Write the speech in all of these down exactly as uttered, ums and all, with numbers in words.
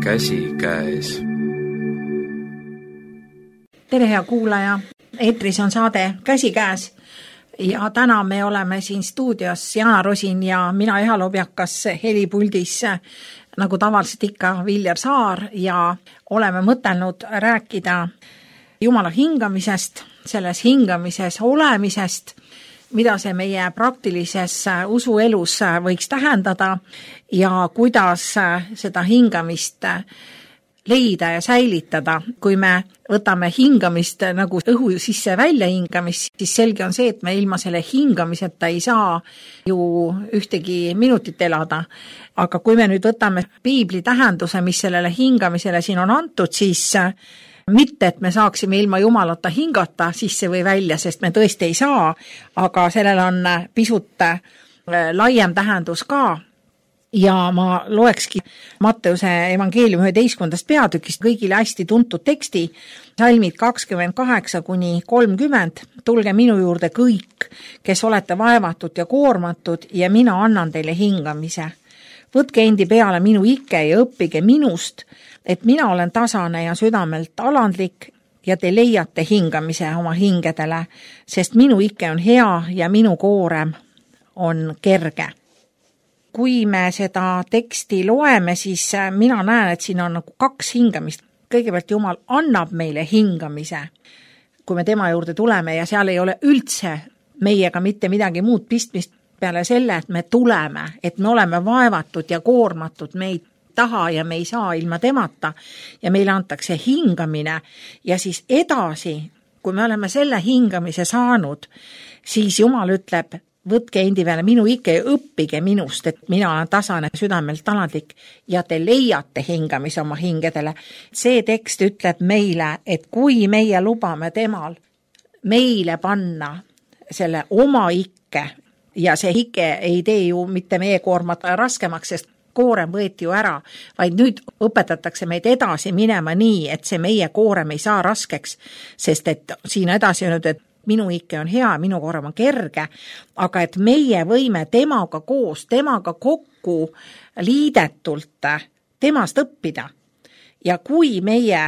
käsikäes. Tere, hea kuulaja! Eetris on saade Käsikäes ja täna me oleme siin stuudios Jana Rosin ja mina Eha Lobjakas helipuldis nagu tavaliselt ikka Viljar Saar ja oleme mõtelnud rääkida Jumala hingamisest, selles hingamises olemisest, mida see meie praktilises usuelus võiks tähendada ja kuidas seda hingamist leida ja säilitada. Kui me võtame hingamist nagu õhu sisse välja hingamist, siis selge on see, et me ilma selle hingamiseta ei saa ju ühtegi minutit elada. Aga kui me nüüd võtame piibli tähenduse, mis sellele hingamisele siin on antud, siis mitte, et me saaksime ilma Jumalata hingata sisse või välja, sest me tõesti ei saa, aga sellel on pisut laiem tähendus ka. Ja ma loekski Matteuse evangeeliumi üheteistkümnendast peatükist kõigile hästi tuntud teksti, salmid kakskümmend kaheksa kuni kolmkümmend. Tulge minu juurde kõik, kes olete vaevatud ja koormatud ja mina annan teile hingamise. Võtke endi peale minu ikke ja õppige minust, et mina olen tasane ja südamelt alandlik ja te leiate hingamise oma hingedele, sest minu ikke on hea ja minu koorem on kerge. Kui me seda teksti loeme, siis mina näen, et siin on nagu kaks hingamist. Kõigepealt Jumal annab meile hingamise, kui me tema juurde tuleme ja seal ei ole üldse meiega mitte midagi muud pistmist peale selle, et me tuleme, et me oleme vaevatud ja koormatud, me ei taha ja me ei saa ilma temata ja meile antakse hingamine ja siis edasi, kui me oleme selle hingamise saanud, siis Jumal ütleb, võtke endi peale minu ikke ja õppige minust, et mina olen tasane südamelt alandlik ja te leiate hingamise oma hingedele. See tekst ütleb meile, et kui meie lubame temal meile panna selle oma ikke ja see ikke ei tee ju mitte meie koormat raskemaks, sest koorem võeti ju ära, vaid nüüd õpetatakse meid edasi minema nii, et see meie koorem ei saa raskeks, sest et siin edasi on nüüd, et minu ikke on hea, minu koorem on kerge, aga et meie võime temaga koos, temaga kokku liidetult temast õppida. Ja kui meie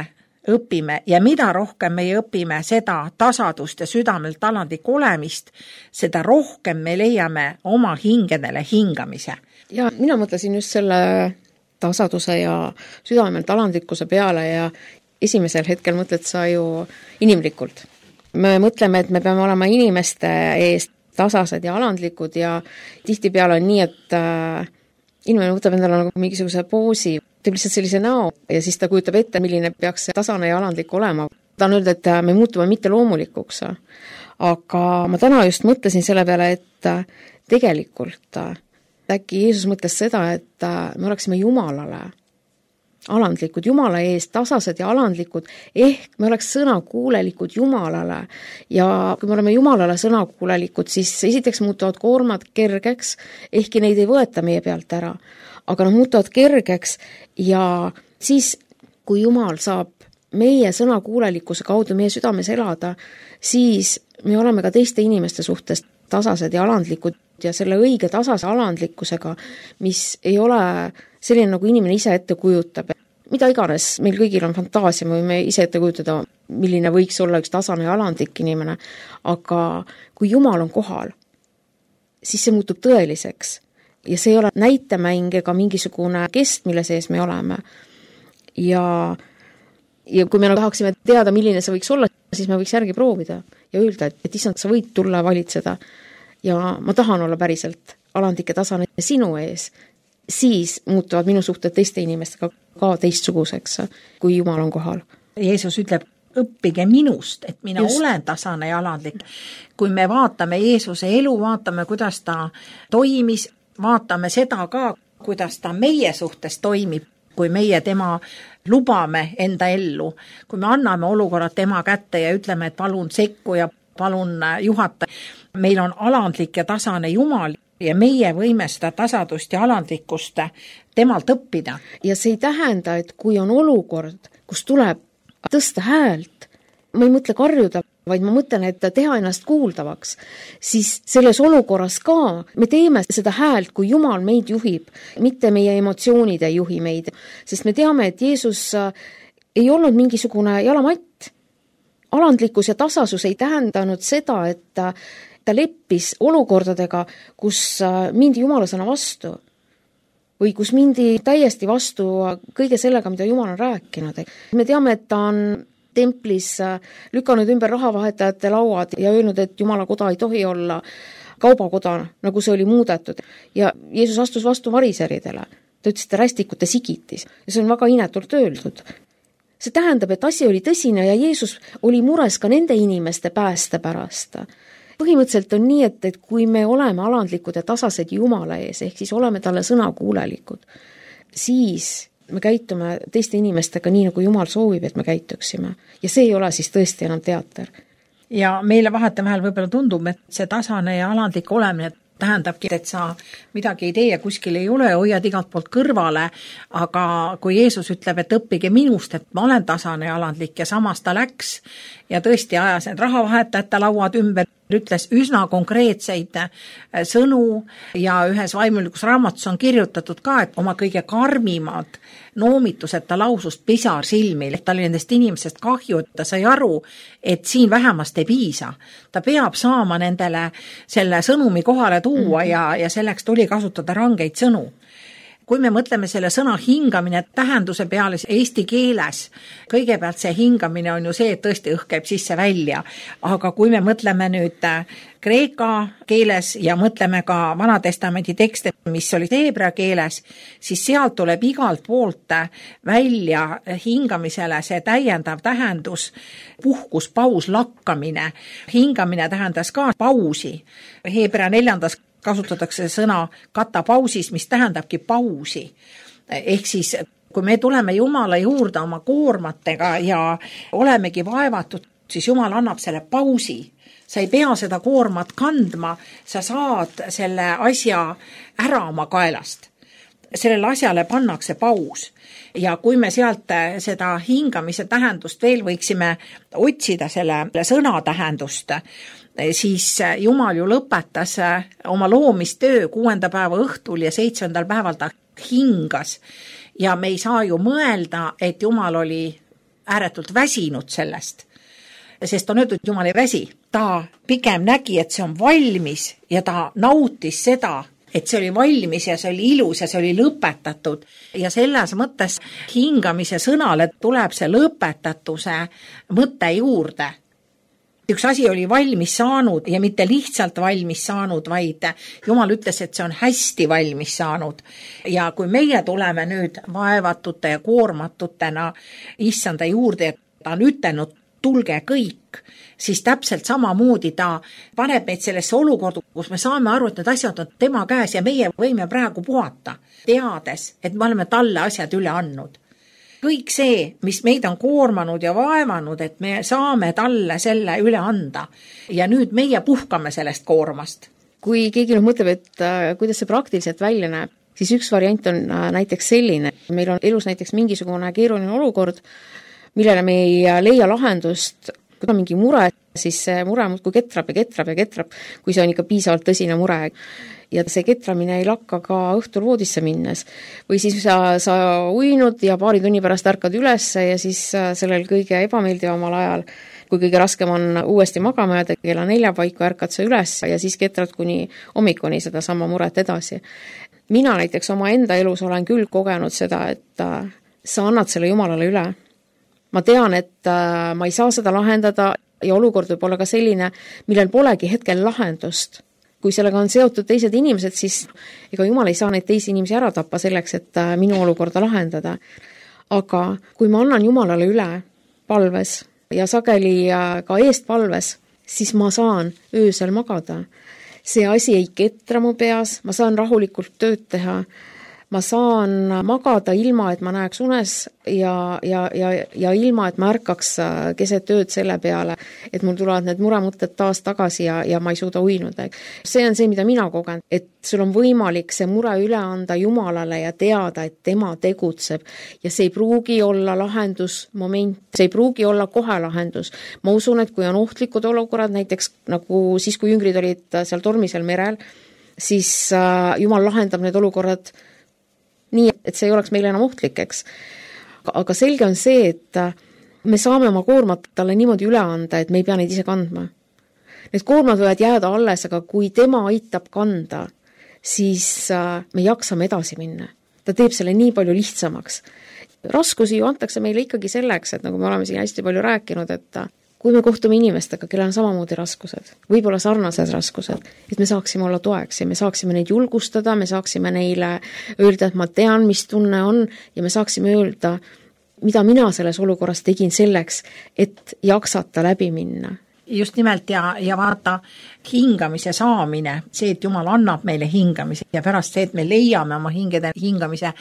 õpime ja mida rohkem meie õpime seda tasadust ja südamelt alandlik olemist, seda rohkem me leiame oma hingedele hingamise. Ja mina mõtlesin just selle tasaduse ja südamelt alandlikkuse peale ja esimesel hetkel mõtled sa ju inimlikult. Me mõtleme, et me peame olema inimeste eest tasased ja alandlikud ja tihtipeale on nii, et äh, inimene võtab endale nagu mingisuguse poosi, teeb lihtsalt sellise näo ja siis ta kujutab ette, milline peaks tasane ja alandlik olema. Ta on öelda, et me muutume mitte loomulikuks. Aga ma täna just mõtlesin selle peale, et tegelikult äkki Jeesus mõtles seda, et me oleksime Jumalale alandlikud, Jumala ees, tasased ja alandlikud, ehk me oleks sõnakuulelikud Jumalale ja kui me oleme Jumalale sõnakuulelikud, siis esiteks muutuvad koormad kergeks, ehkki neid ei võeta meie pealt ära, aga nad muutuvad kergeks ja siis, kui Jumal saab meie sõnakuulelikkuse kaudu meie südames elada, siis me oleme ka teiste inimeste suhtes tasased ja alandlikud ja selle õige tasase alandlikkusega, mis ei ole selline, nagu inimene ise ette kujutab. Mida iganes, meil kõigil on fantaasia, me võime ise ette kujutada, milline võiks olla üks tasane ja alandlik inimene, aga kui Jumal on kohal, siis see muutub tõeliseks ja see ei ole näitemäng ega mingisugune kest, mille sees me oleme. Ja, ja kui me tahaksime teada, milline see võiks olla, siis me võiks järgi proovida ja öelda, et, et issand, sa võid tulla valitseda ja ma tahan olla päriselt alandlik ja tasane sinu ees, siis muutuvad minu suhted teiste inimestega ka teistsuguseks, kui Jumal on kohal. Jeesus ütleb, õppige minust, et mina Just. olen tasane ja alandlik. Kui me vaatame Jeesuse elu, vaatame, kuidas ta toimis, vaatame seda ka, kuidas ta meie suhtes toimib, kui meie tema lubame enda ellu, kui me anname olukorrad tema kätte ja ütleme, et palun sekku ja palun juhata. Meil on alandlik ja tasane Jumal ja meie võime seda tasadust ja alandlikkust temalt õppida. Ja see ei tähenda, et kui on olukord, kus tuleb tõsta häält, ma ei mõtle karjuda, vaid ma mõtlen, et teha ennast kuuldavaks, siis selles olukorras ka me teeme seda häält, kui Jumal meid juhib, mitte meie emotsioonid ei juhi meid, sest me teame, et Jeesus ei olnud mingisugune jalamatt. Alandlikkus ja tasasus ei tähendanud seda, et ta leppis olukordadega, kus mindi Jumala sõna vastu või kus mindi täiesti vastu kõige sellega, mida Jumal on rääkinud. Me teame, et ta on templis lükanud ümber rahavahetajate lauad ja öelnud, et Jumala koda ei tohi olla kaubakoda, nagu see oli muudetud. Ja Jeesus astus vastu variseridele. Ta ütles, et rästikute sigitis. Ja see on väga inetult öeldud. See tähendab, et asi oli tõsine ja Jeesus oli mures ka nende inimeste pääste pärast. Põhimõtteliselt on nii, et, et kui me oleme alandlikud ja tasased Jumala ees, ehk siis oleme talle sõnakuulelikud, siis me käitume teiste inimestega nii, nagu Jumal soovib, et me käituksime. Ja see ei ole siis tõesti enam teater. Ja meile vahetevahel võib-olla tundub, et see tasane ja alandlik olemine tähendabki, et sa midagi ei tee ja kuskil ei ole, hoiad igalt poolt kõrvale, aga kui Jeesus ütleb, et õppige minust, et ma olen tasane ja alandlik ja samas ta läks ja tõesti ajas need rahavahetajate lauad ümber, ütles üsna konkreetseid sõnu ja ühes vaimulikus raamatus on kirjutatud ka, et oma kõige karmimad noomitused ta lausust pisar silmil, et ta oli nendest inimesest kahju, et ta sai aru, et siin vähemast ei piisa. Ta peab saama nendele selle sõnumi kohale tuua mm-hmm. ja, ja selleks tuli kasutada rangeid sõnu. Kui me mõtleme selle sõna hingamine tähenduse peale eesti keeles, kõigepealt see hingamine on ju see, et tõesti õhk käib sisse välja, aga kui me mõtleme nüüd kreeka keeles ja mõtleme ka Vanatestamendi tekste, mis oli heebrea keeles, siis sealt tuleb igalt poolt välja hingamisele see täiendav tähendus, puhkus, paus, lakkamine. Hingamine tähendas ka pausi. Heebrea neljandas kasutatakse sõna katapausis, mis tähendabki pausi. Ehk siis, kui me tuleme Jumala juurde oma koormatega ja olemegi vaevatud, siis Jumal annab selle pausi. Sa ei pea seda koormat kandma, sa saad selle asja ära oma kaelast. Sellele asjale pannakse paus. Ja kui me sealt seda hingamise tähendust veel võiksime otsida selle sõna tähendust, siis Jumal ju lõpetas oma loomistöö kuuenda päeva õhtul ja seitsmendal päeval ta hingas. Ja me ei saa ju mõelda, et Jumal oli ääretult väsinud sellest, sest on öeldud, et Jumal ei väsi. Ta pigem nägi, et see on valmis ja ta nautis seda, et see oli valmis ja see oli ilus ja see oli lõpetatud. Ja selles mõttes hingamise sõnale tuleb see lõpetatuse mõte juurde. Üks asi oli valmis saanud ja mitte lihtsalt valmis saanud, vaid Jumal ütles, et see on hästi valmis saanud. Ja kui meie tuleme nüüd vaevatute ja koormatutena issanda juurde, et ta on ütelnud, tulge kõik, siis täpselt samamoodi ta paneb meid sellesse olukorda, kus me saame aru, et need asjad on tema käes ja meie võime praegu puhata, teades, et me oleme talle asjad üle andnud. Kõik see, mis meid on koormanud ja vaevanud, et me saame talle selle üle anda. Ja nüüd meie puhkame sellest koormast. Kui keegi nüüd mõtleb, et äh, kuidas see praktiliselt välja näeb, siis üks variant on äh, näiteks selline. Meil on elus näiteks mingisugune keeruline olukord, millele me ei leia lahendust, kui on mingi mure, siis see mure muudkui ketrab ja ketrab ja ketrab, kui see on ikka piisavalt tõsine mure. Ja see ketramine ei lakka ka õhtul voodisse minnes. Või siis sa, sa uinud ja paari tunni pärast ärkad üles ja siis sellel kõige ebameeldivamal ajal, kui kõige raskem on uuesti magama jääda, kella nelja paiku ärkad sa üles ja siis ketrad kuni hommikuni seda sama muret edasi. Mina näiteks oma enda elus olen küll kogenud seda, et sa annad selle Jumalale üle. Ma tean, et ma ei saa seda lahendada ja olukord võib olla ka selline, millel polegi hetkel lahendust. Kui sellega on seotud teised inimesed, siis ega Jumal ei saa neid teisi inimesi ära tappa selleks, et minu olukorda lahendada. Aga kui ma annan Jumalale üle palves ja sageli ka eest palves, siis ma saan öösel magada. See asi ei ketra mu peas, ma saan rahulikult tööd teha. ma saan magada ilma, et ma näeks unes ja, ja, ja, ja ilma, et ma ärkaks keset ööd selle peale, et mul tulevad need muremõtted taas tagasi ja, ja ma ei suuda uinuda. See on see, mida mina kogen, et sul on võimalik see mure üle anda Jumalale ja teada, et tema tegutseb ja see ei pruugi olla lahendusmoment, see ei pruugi olla kohe lahendus. Ma usun, et kui on ohtlikud olukorrad, näiteks nagu siis, kui jüngrid olid seal tormisel merel, siis Jumal lahendab need olukorrad nii, et see ei oleks meile enam ohtlik, eks. Aga selge on see, et me saame oma koormat talle niimoodi üle anda, et me ei pea neid ise kandma. Need koormad võivad jääda alles, aga kui tema aitab kanda, siis me jaksame edasi minna. Ta teeb selle nii palju lihtsamaks. Raskusi ju antakse meile ikkagi selleks, et nagu me oleme siin hästi palju rääkinud, et kui me kohtume inimestega, kellel on samamoodi raskused, võib-olla sarnased raskused, et me saaksime olla toeks ja me saaksime neid julgustada, me saaksime neile öelda, et ma tean, mis tunne on ja me saaksime öelda, mida mina selles olukorras tegin selleks, et jaksata läbi minna. Just nimelt ja, ja vaata hingamise saamine, see, et Jumal annab meile hingamise ja pärast see, et me leiame oma hingede hingamise,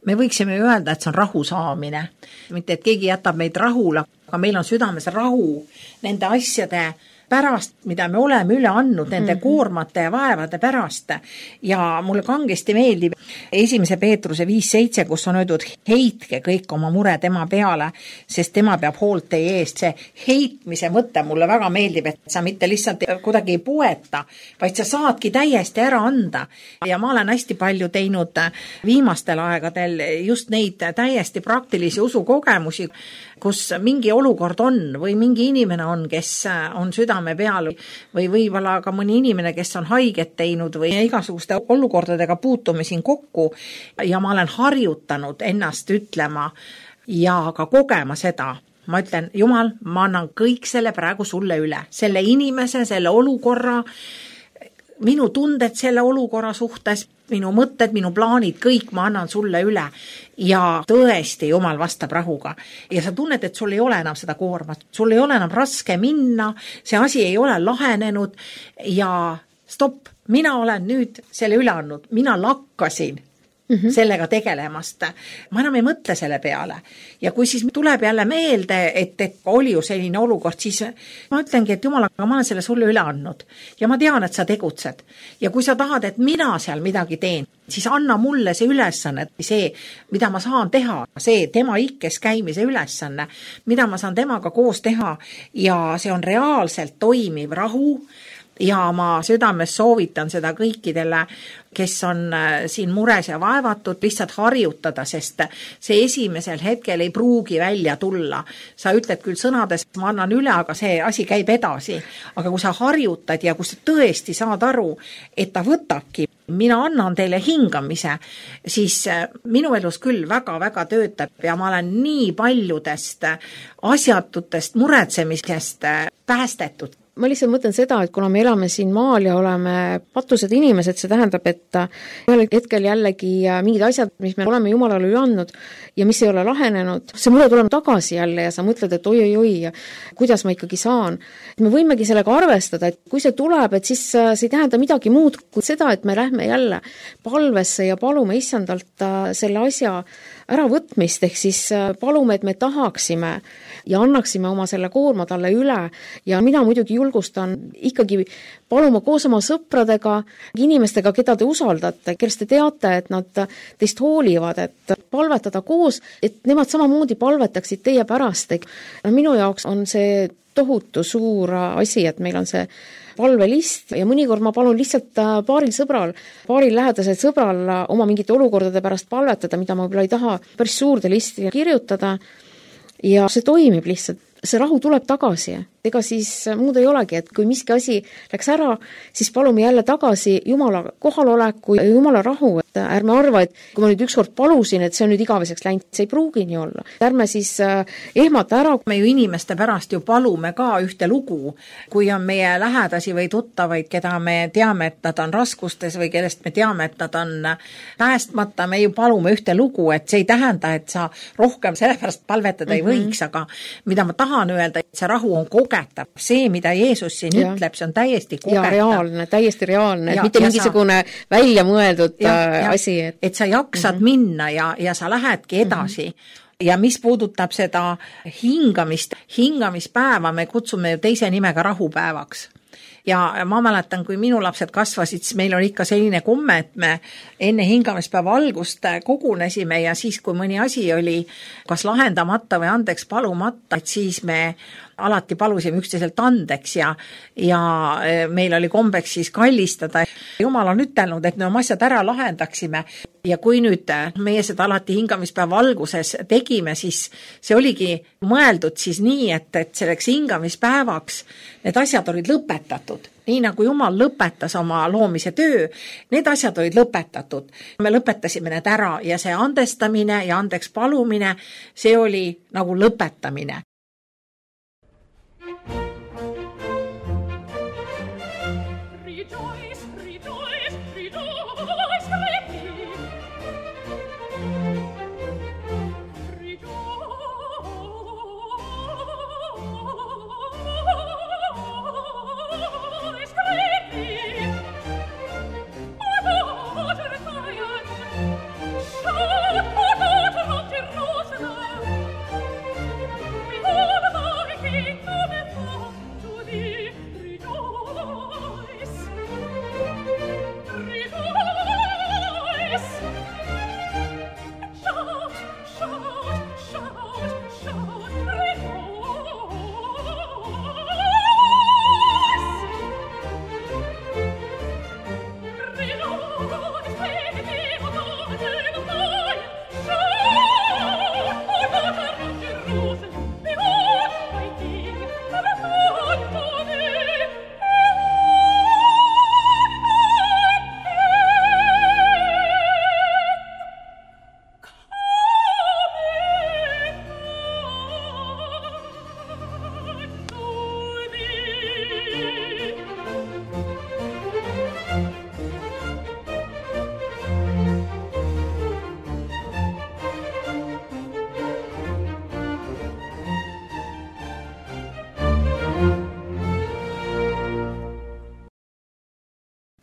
me võiksime öelda, et see on rahu saamine. Mitte, et keegi jätab meid rahule, aga meil on südames rahu nende asjade pärast, mida me oleme üle andnud, nende mm-hmm. koormate ja vaevade pärast. Ja mulle kangesti meeldib esimese Peetruse viis seitse, kus on öeldud, heitke kõik oma mure tema peale, sest tema peab hoolt teie eest. See heitmise mõte mulle väga meeldib, et sa mitte lihtsalt kuidagi ei poeta, vaid sa saadki täiesti ära anda. Ja ma olen hästi palju teinud viimastel aegadel just neid täiesti praktilisi usukogemusi, kus mingi olukord on või mingi inimene on, kes on südame peal või võib-olla ka mõni inimene, kes on haiget teinud või igasuguste olukordadega puutume siin kokku ja ma olen harjutanud ennast ütlema ja ka kogema seda. Ma ütlen, Jumal, ma annan kõik selle praegu sulle üle. Selle inimese, selle olukorra, minu tunded selle olukorra suhtes, minu mõtted, minu plaanid, kõik ma annan sulle üle ja tõesti Jumal vastab rahuga. Ja sa tunned, et sul ei ole enam seda koormat, sul ei ole enam raske minna, see asi ei ole lahenenud ja stopp, mina olen nüüd selle üle andnud, mina lakkasin mm-hmm. sellega tegelemast. Ma enam ei mõtle selle peale. Ja kui siis tuleb jälle meelde, et, et oli ju selline olukord, siis ma ütlengi, et Jumal, aga ma olen selle sulle üle andnud. Ja ma tean, et sa tegutsed. Ja kui sa tahad, et mina seal midagi teen, siis anna mulle see ülesanne, see, mida ma saan teha, see tema ikkes käimise ülesanne, mida ma saan temaga koos teha ja see on reaalselt toimiv rahu. Ja ma südames soovitan seda kõikidele, kes on siin mures ja vaevatud, lihtsalt harjutada, sest see esimesel hetkel ei pruugi välja tulla. Sa ütled küll sõnades, ma annan üle, aga see asi käib edasi. Aga kui sa harjutad ja kui sa tõesti saad aru, et ta võtabki, mina annan teile hingamise, siis minu elus küll väga-väga töötab ja ma olen nii paljudest asjatutest muretsemisest päästetud. Ma lihtsalt mõtlen seda, et kuna me elame siin maal ja oleme patused inimesed, see tähendab, et ühel hetkel jällegi mingid asjad, mis me oleme Jumalale üle andnud ja mis ei ole lahenenud, see mure tuleb tagasi jälle ja sa mõtled, et oi-oi-oi, kuidas ma ikkagi saan. Me võimegi sellega arvestada, et kui see tuleb, et siis see ei tähenda midagi muud kui seda, et me lähme jälle palvesse ja palume issandalt selle asja äravõtmist, ehk siis palume, et me tahaksime ja annaksime oma selle koorma talle üle ja mina muidugi julgustan ikkagi paluma koos oma sõpradega, inimestega, keda te usaldate, kellest te teate, et nad teist hoolivad, et palvetada koos, et nemad samamoodi palvetaksid teie pärast. Minu jaoks on see tohutu suur asi, et meil on see palvelist ja mõnikord ma palun lihtsalt paaril sõbral, paaril lähedasel sõbral oma mingite olukordade pärast palvetada, mida ma võib-olla ei taha päris suurde listi kirjutada ja see toimib lihtsalt. See rahu tuleb tagasi. Ega siis muud ei olegi, et kui miski asi läks ära, siis palume jälle tagasi Jumala kohaloleku ja Jumala rahu. Et ärme arva, et kui ma nüüd ükskord palusin, et see on nüüd igaveseks läinud, see ei pruugi nii olla. Ärme siis ehmata ära. Me ju inimeste pärast ju palume ka ühte lugu, kui on meie lähedasi või tuttavaid, keda me teame, et nad on raskustes või kellest me teame, et nad on päästmata, me ju palume ühte lugu, et see ei tähenda, et sa rohkem sellepärast palvetada mm-hmm. ei võiks, aga mida ma tahan öelda, et see rahu on kogetav. See, mida Jeesus siin ja. ütleb, see on täiesti kogetav. Ja reaalne, täiesti reaalne, ja, mitte mingisugune sa... välja mõeldud ja, ja, asi, et et sa jaksad mm-hmm. minna ja, ja sa lähedki edasi mm-hmm. ja mis puudutab seda hingamist, hingamispäeva me kutsume ju teise nimega rahupäevaks. Ja ma mäletan, kui minu lapsed kasvasid, siis meil oli ikka selline komme, et me enne hingamispäeva algust kogunesime ja siis, kui mõni asi oli kas lahendamata või andeks palumata, et siis me alati palusime üksteiselt andeks ja, ja meil oli kombeks siis kallistada. Jumal on ütelnud, et me oma asjad ära lahendaksime ja kui nüüd meie seda alati hingamispäeva alguses tegime, siis see oligi mõeldud siis nii, et, et selleks hingamispäevaks need asjad olid lõpetatud. Nii nagu Jumal lõpetas oma loomise töö, need asjad olid lõpetatud. Me lõpetasime need ära ja see andestamine ja andeks palumine, see oli nagu lõpetamine.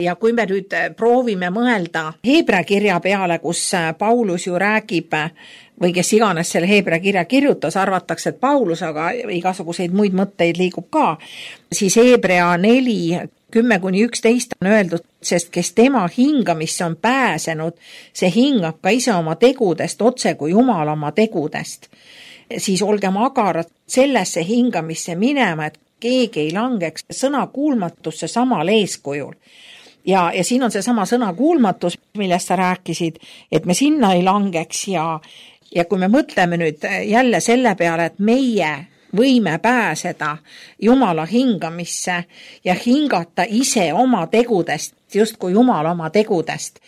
Ja kui me nüüd proovime mõelda Heebrea kirja peale, kus Paulus ju räägib, või kes iganes selle Heebrea kirja kirjutas, arvatakse, et Paulus, aga igasuguseid muid mõtteid liigub ka, siis Heebrea neli, kümme kuni üksteist on öeldud, sest kes tema hingamisse on pääsenud, see hingab ka ise oma tegudest, otse kui Jumal oma tegudest. Siis olgem agarad sellesse hingamisse minema, et keegi ei langeks sõna kuulmatusse samal eeskujul. Ja, ja siin on see sama sõna kuulmatus, millest sa rääkisid, et me sinna ei langeks ja, ja kui me mõtleme nüüd jälle selle peale, et meie võime pääseda Jumala hingamisse ja hingata ise oma tegudest, just kui Jumal oma tegudest.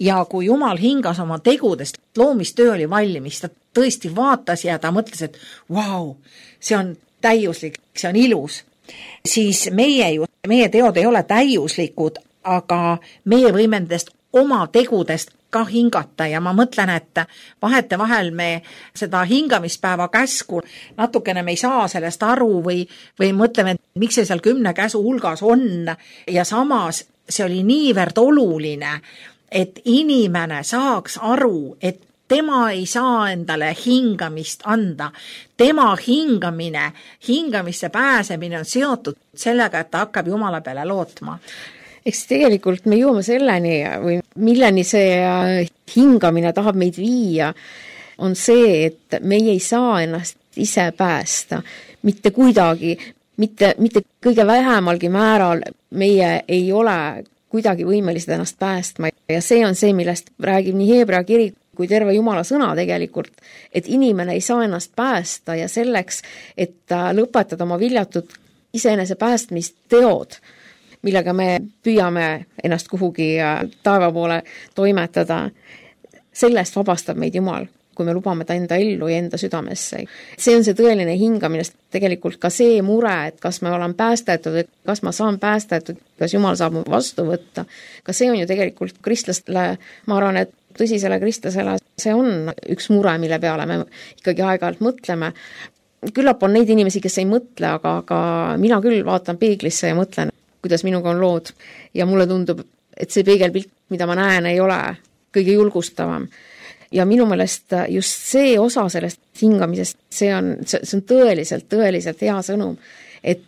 Ja kui Jumal hingas oma tegudest, loomistöö oli valmis, ta tõesti vaatas ja ta mõtles, et vau, see on täiuslik, see on ilus. Siis meie ju, meie teod ei ole täiuslikud, aga meie võime nendest oma tegudest ka hingata ja ma mõtlen, et vahete vahel me seda hingamispäeva käsku natukene me ei saa sellest aru või, või mõtleme, et miks see seal kümne käsu hulgas on ja samas see oli niivõrd oluline, et inimene saaks aru, et tema ei saa endale hingamist anda. Tema hingamine, hingamisse pääsemine on seotud sellega, et ta hakkab Jumala peale lootma. Eks tegelikult me jõuame selleni või milleni see hingamine tahab meid viia, on see, et meie ei saa ennast ise päästa. Mitte kuidagi, mitte, mitte kõige vähemalgi määral meie ei ole kuidagi võimelised ennast päästma. Ja see on see, millest räägib nii Heebrea kiri kui terve Jumala sõna tegelikult, et inimene ei saa ennast päästa ja selleks, et lõpetada oma viljatud iseenese päästmist teod, millega me püüame ennast kuhugi taeva poole toimetada. Sellest vabastab meid Jumal, kui me lubame ta enda ellu ja enda südamesse. See on see tõeline hingamine, tegelikult ka see mure, et kas me olen päästetud, kas ma saan päästetud, kas Jumal saab mu vastu võtta. Ka see on ju tegelikult kristlastele, ma arvan, et tõsisele kristlasele, see on üks mure, mille peale me ikkagi aeg-ajalt mõtleme. Küllap on neid inimesi, kes ei mõtle, aga, aga mina küll vaatan peeglisse ja mõtlen, kuidas minuga on lood ja mulle tundub, et see peegelpilt, mida ma näen, ei ole kõige julgustavam. Ja minu meelest just see osa sellest hingamisest, see on, see on tõeliselt, tõeliselt hea sõnum, et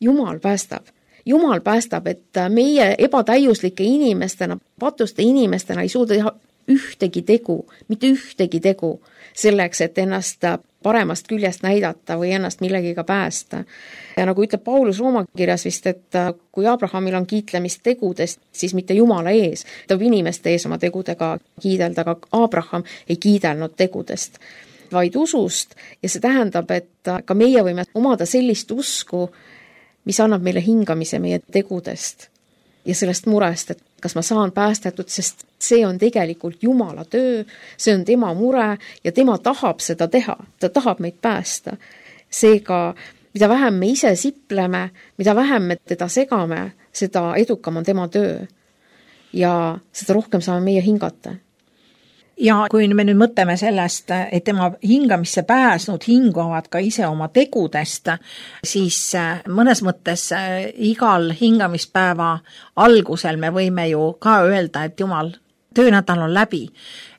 Jumal päästab. Jumal päästab, et meie ebatäiuslike inimestena, patuste inimestena ei suuda teha ühtegi tegu, mitte ühtegi tegu selleks, et ennast paremast küljest näidata või ennast millegiga päästa. Ja nagu ütleb Paulus Rooma kirjas vist, et kui Abrahamil on kiitlemist tegudest, siis mitte Jumala ees, ta võib inimeste ees oma tegudega kiidelda, aga Abraham ei kiidelnud tegudest, vaid usust, ja see tähendab, et ka meie võime omada sellist usku, mis annab meile hingamise meie tegudest ja sellest murest, et kas ma saan päästetud, sest see on tegelikult Jumala töö, see on tema mure ja tema tahab seda teha, ta tahab meid päästa. Seega, mida vähem me ise sipleme, mida vähem me teda segame, seda edukam on tema töö ja seda rohkem saame meie hingata. Ja kui me nüüd mõtleme sellest, et tema hingamisse pääsnud hingavad ka ise oma tegudest, siis mõnes mõttes igal hingamispäeva algusel me võime ju ka öelda, et Jumal, töönädal on läbi.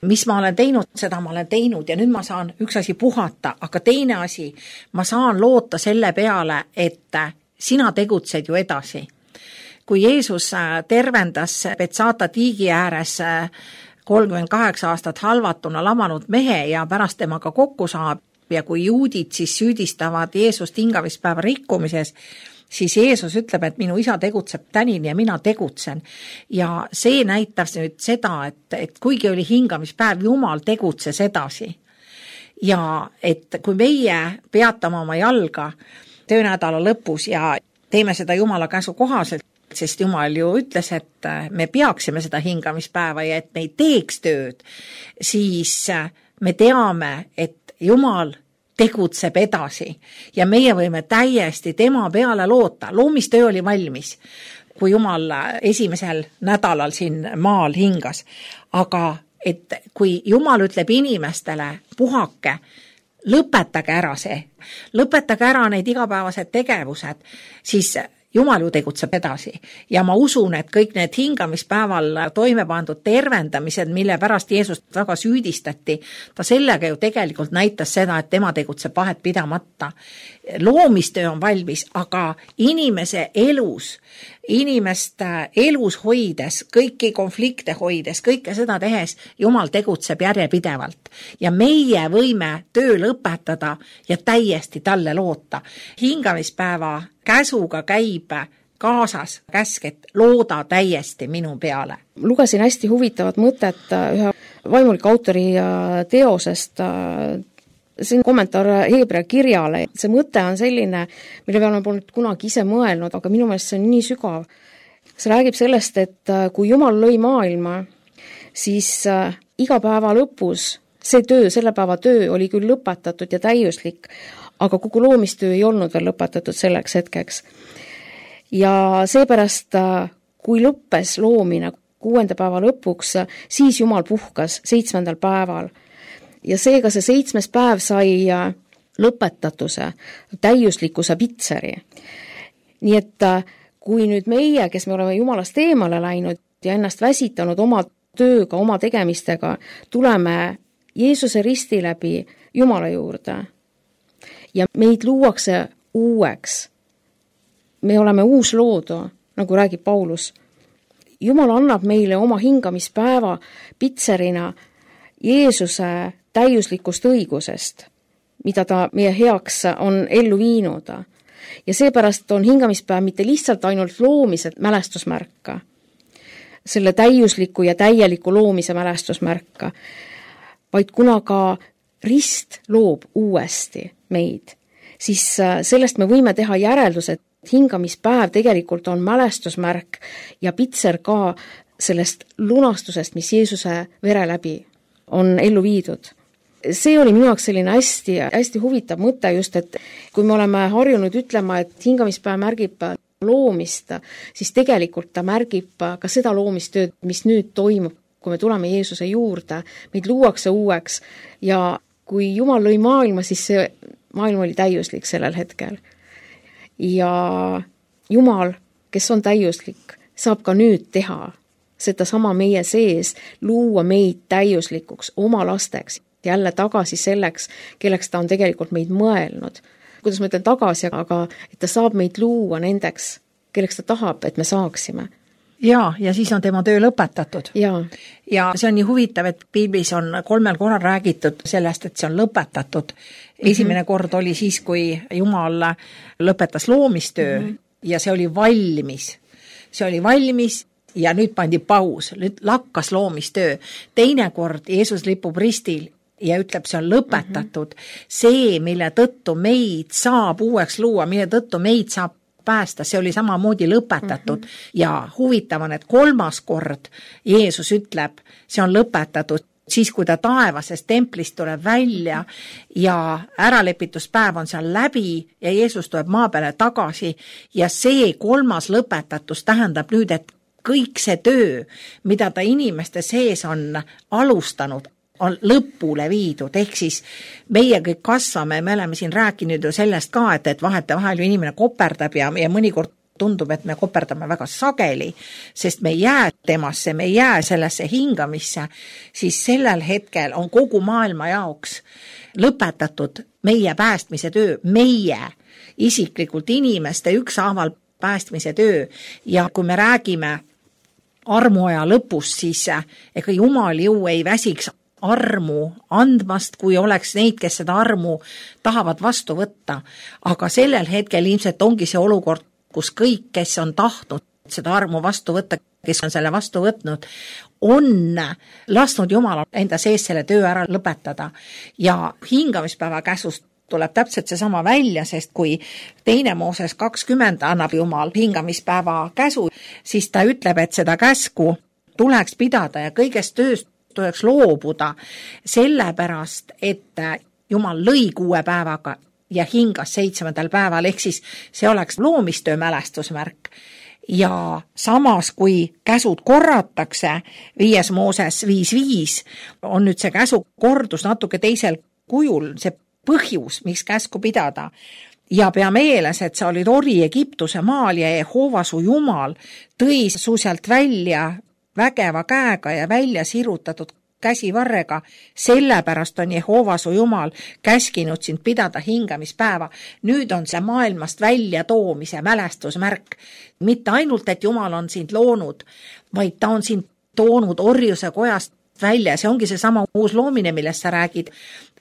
Mis ma olen teinud, seda ma olen teinud ja nüüd ma saan üks asi puhata, aga teine asi, ma saan loota selle peale, et sina tegutsed ju edasi. Kui Jeesus tervendas Betsata tiigi ääres kolmkümmend kaheksa aastat halvatuna lamanud mehe ja pärast temaga kokku saab ja kui juudid siis süüdistavad Jeesust hingamispäeva rikkumises, siis Jeesus ütleb, et minu isa tegutseb tänini ja mina tegutsen. Ja see näitab nüüd seda, et, et kuigi oli hingamispäev, Jumal tegutses edasi. Ja et kui meie peatame oma jalga töönädala lõpus ja teeme seda Jumala käsu kohaselt, sest Jumal ju ütles, et me peaksime seda hingamispäeva ja et me ei teeks tööd, siis me teame, et Jumal tegutseb edasi ja meie võime täiesti tema peale loota. Loomistöö oli valmis, kui Jumal esimesel nädalal siin maal hingas. Aga et kui Jumal ütleb inimestele, puhake, lõpetage ära see, lõpetage ära need igapäevased tegevused, siis Jumal ju tegutseb edasi ja ma usun, et kõik need hingamispäeval toime pandud tervendamised, mille pärast Jeesust väga süüdistati, ta sellega ju tegelikult näitas seda, et tema tegutseb vahet pidamata. Loomistöö on valmis, aga inimese elus, inimeste elus hoides, kõiki konflikte hoides, kõike seda tehes, Jumal tegutseb järjepidevalt ja meie võime töö lõpetada ja täiesti talle loota. Hingamispäeva käsuga käib kaasas käsk, et looda täiesti minu peale. Lugesin hästi huvitavat mõtet ühe vaimuliku autori teosest, see on kommentaar Heebrea kirjale. See mõte on selline, mille peale ma polnud kunagi ise mõelnud, aga minu meelest see on nii sügav. See räägib sellest, et kui Jumal lõi maailma, siis iga päeva lõpus see töö, selle päeva töö oli küll lõpetatud ja täiuslik, aga kogu loomistöö ei olnud veel lõpetatud selleks hetkeks. Ja seepärast, kui lõppes loomine kuuenda päeva lõpuks, siis Jumal puhkas seitsmendal päeval. Ja seega see seitsmes päev sai lõpetatuse, täiuslikkuse pitseri. Nii et kui nüüd meie, kes me oleme Jumalast eemale läinud ja ennast väsitanud oma tööga, oma tegemistega, tuleme Jeesuse risti läbi Jumala juurde ja meid luuakse uueks. Me oleme uus loodu, nagu räägib Paulus. Jumal annab meile oma hingamispäeva pitserina Jeesuse täiuslikust õigusest, mida ta meie heaks on ellu viinud. Ja seepärast on hingamispäev mitte lihtsalt ainult loomise mälestusmärka, selle täiusliku ja täieliku loomise mälestusmärka, vaid kuna ka rist loob uuesti meid, siis sellest me võime teha järeldus, et hingamispäev tegelikult on mälestusmärk ja pitser ka sellest lunastusest, mis Jeesuse vere läbi on ellu viidud. See oli minu jaoks selline hästi, hästi huvitav mõte just, et kui me oleme harjunud ütlema, et hingamispäev märgib loomist, siis tegelikult ta märgib ka seda loomistööd, mis nüüd toimub, kui me tuleme Jeesuse juurde, meid luuakse uueks ja kui Jumal lõi maailma, siis see maailm oli täiuslik sellel hetkel. Ja Jumal, kes on täiuslik, saab ka nüüd teha seda sama meie sees, luua meid täiuslikuks oma lasteks, jälle tagasi selleks, kelleks ta on tegelikult meid mõelnud. Kuidas ma ütlen tagasi, aga et ta saab meid luua nendeks, kelleks ta tahab, et me saaksime. Ja, ja siis on tema töö lõpetatud. Ja. ja see on nii huvitav, et piiblis on kolmel korral räägitud sellest, et see on lõpetatud. Esimene mm-hmm. kord oli siis, kui Jumal lõpetas loomistöö mm-hmm. ja see oli valmis. See oli valmis ja nüüd pandi paus, nüüd lakkas loomistöö. Teine kord Jeesus lipub ristil ja ütleb, see on lõpetatud. Mm-hmm. See, mille tõttu meid saab uueks luua, mille tõttu meid saab päästa, see oli samamoodi lõpetatud mm-hmm. ja huvitav on, et kolmas kord Jeesus ütleb, see on lõpetatud, siis kui ta taevasest templist tuleb välja ja äralepituspäev on seal läbi ja Jeesus tuleb maa peale tagasi ja see kolmas lõpetatus tähendab nüüd, et kõik see töö, mida ta inimeste sees on alustanud, on lõpule viidud, ehk siis meie kõik kasvame, me oleme siin rääkinud ju sellest ka, et, et vahete vahel ju inimene koperdab ja, ja mõnikord tundub, et me koperdame väga sageli, sest me ei jää temasse, me ei jää sellesse hingamisse, siis sellel hetkel on kogu maailma jaoks lõpetatud meie päästmise töö, meie isiklikult inimeste ükshaaval päästmise töö ja kui me räägime armuaja lõpus, siis ega Jumal ju ei väsiks armu andmast, kui oleks neid, kes seda armu tahavad vastu võtta. Aga sellel hetkel ilmselt ongi see olukord, kus kõik, kes on tahtnud seda armu vastu võtta, kes on selle vastu võtnud, on lasknud Jumal enda sees selle töö ära lõpetada. Ja hingamispäeva käsust tuleb täpselt seesama välja, sest kui teine Mooses kakskümmend annab Jumal hingamispäeva käsu, siis ta ütleb, et seda käsku tuleks pidada ja kõigest tööst tuleks loobuda sellepärast, et Jumal lõi kuue päevaga ja hingas seitsmendal päeval, ehk siis see oleks loomistöö mälestusmärk. Ja samas, kui käsud korratakse, viies Mooses viis viis, on nüüd see käsu kordus natuke teisel kujul, see põhjus, miks käsku pidada. Ja pea meeles, et sa olid ori Egiptuse maal ja Jehova su Jumal tõi su sealt välja vägeva käega ja välja sirutatud käsivarrega, sellepärast on Jehova su Jumal käskinud sind pidada hingamispäeva. Nüüd on see maailmast välja toomise mälestusmärk. Mitte ainult, et Jumal on sind loonud, vaid ta on sind toonud orjuse kojast välja. See ongi see sama uus loomine, millest sa räägid.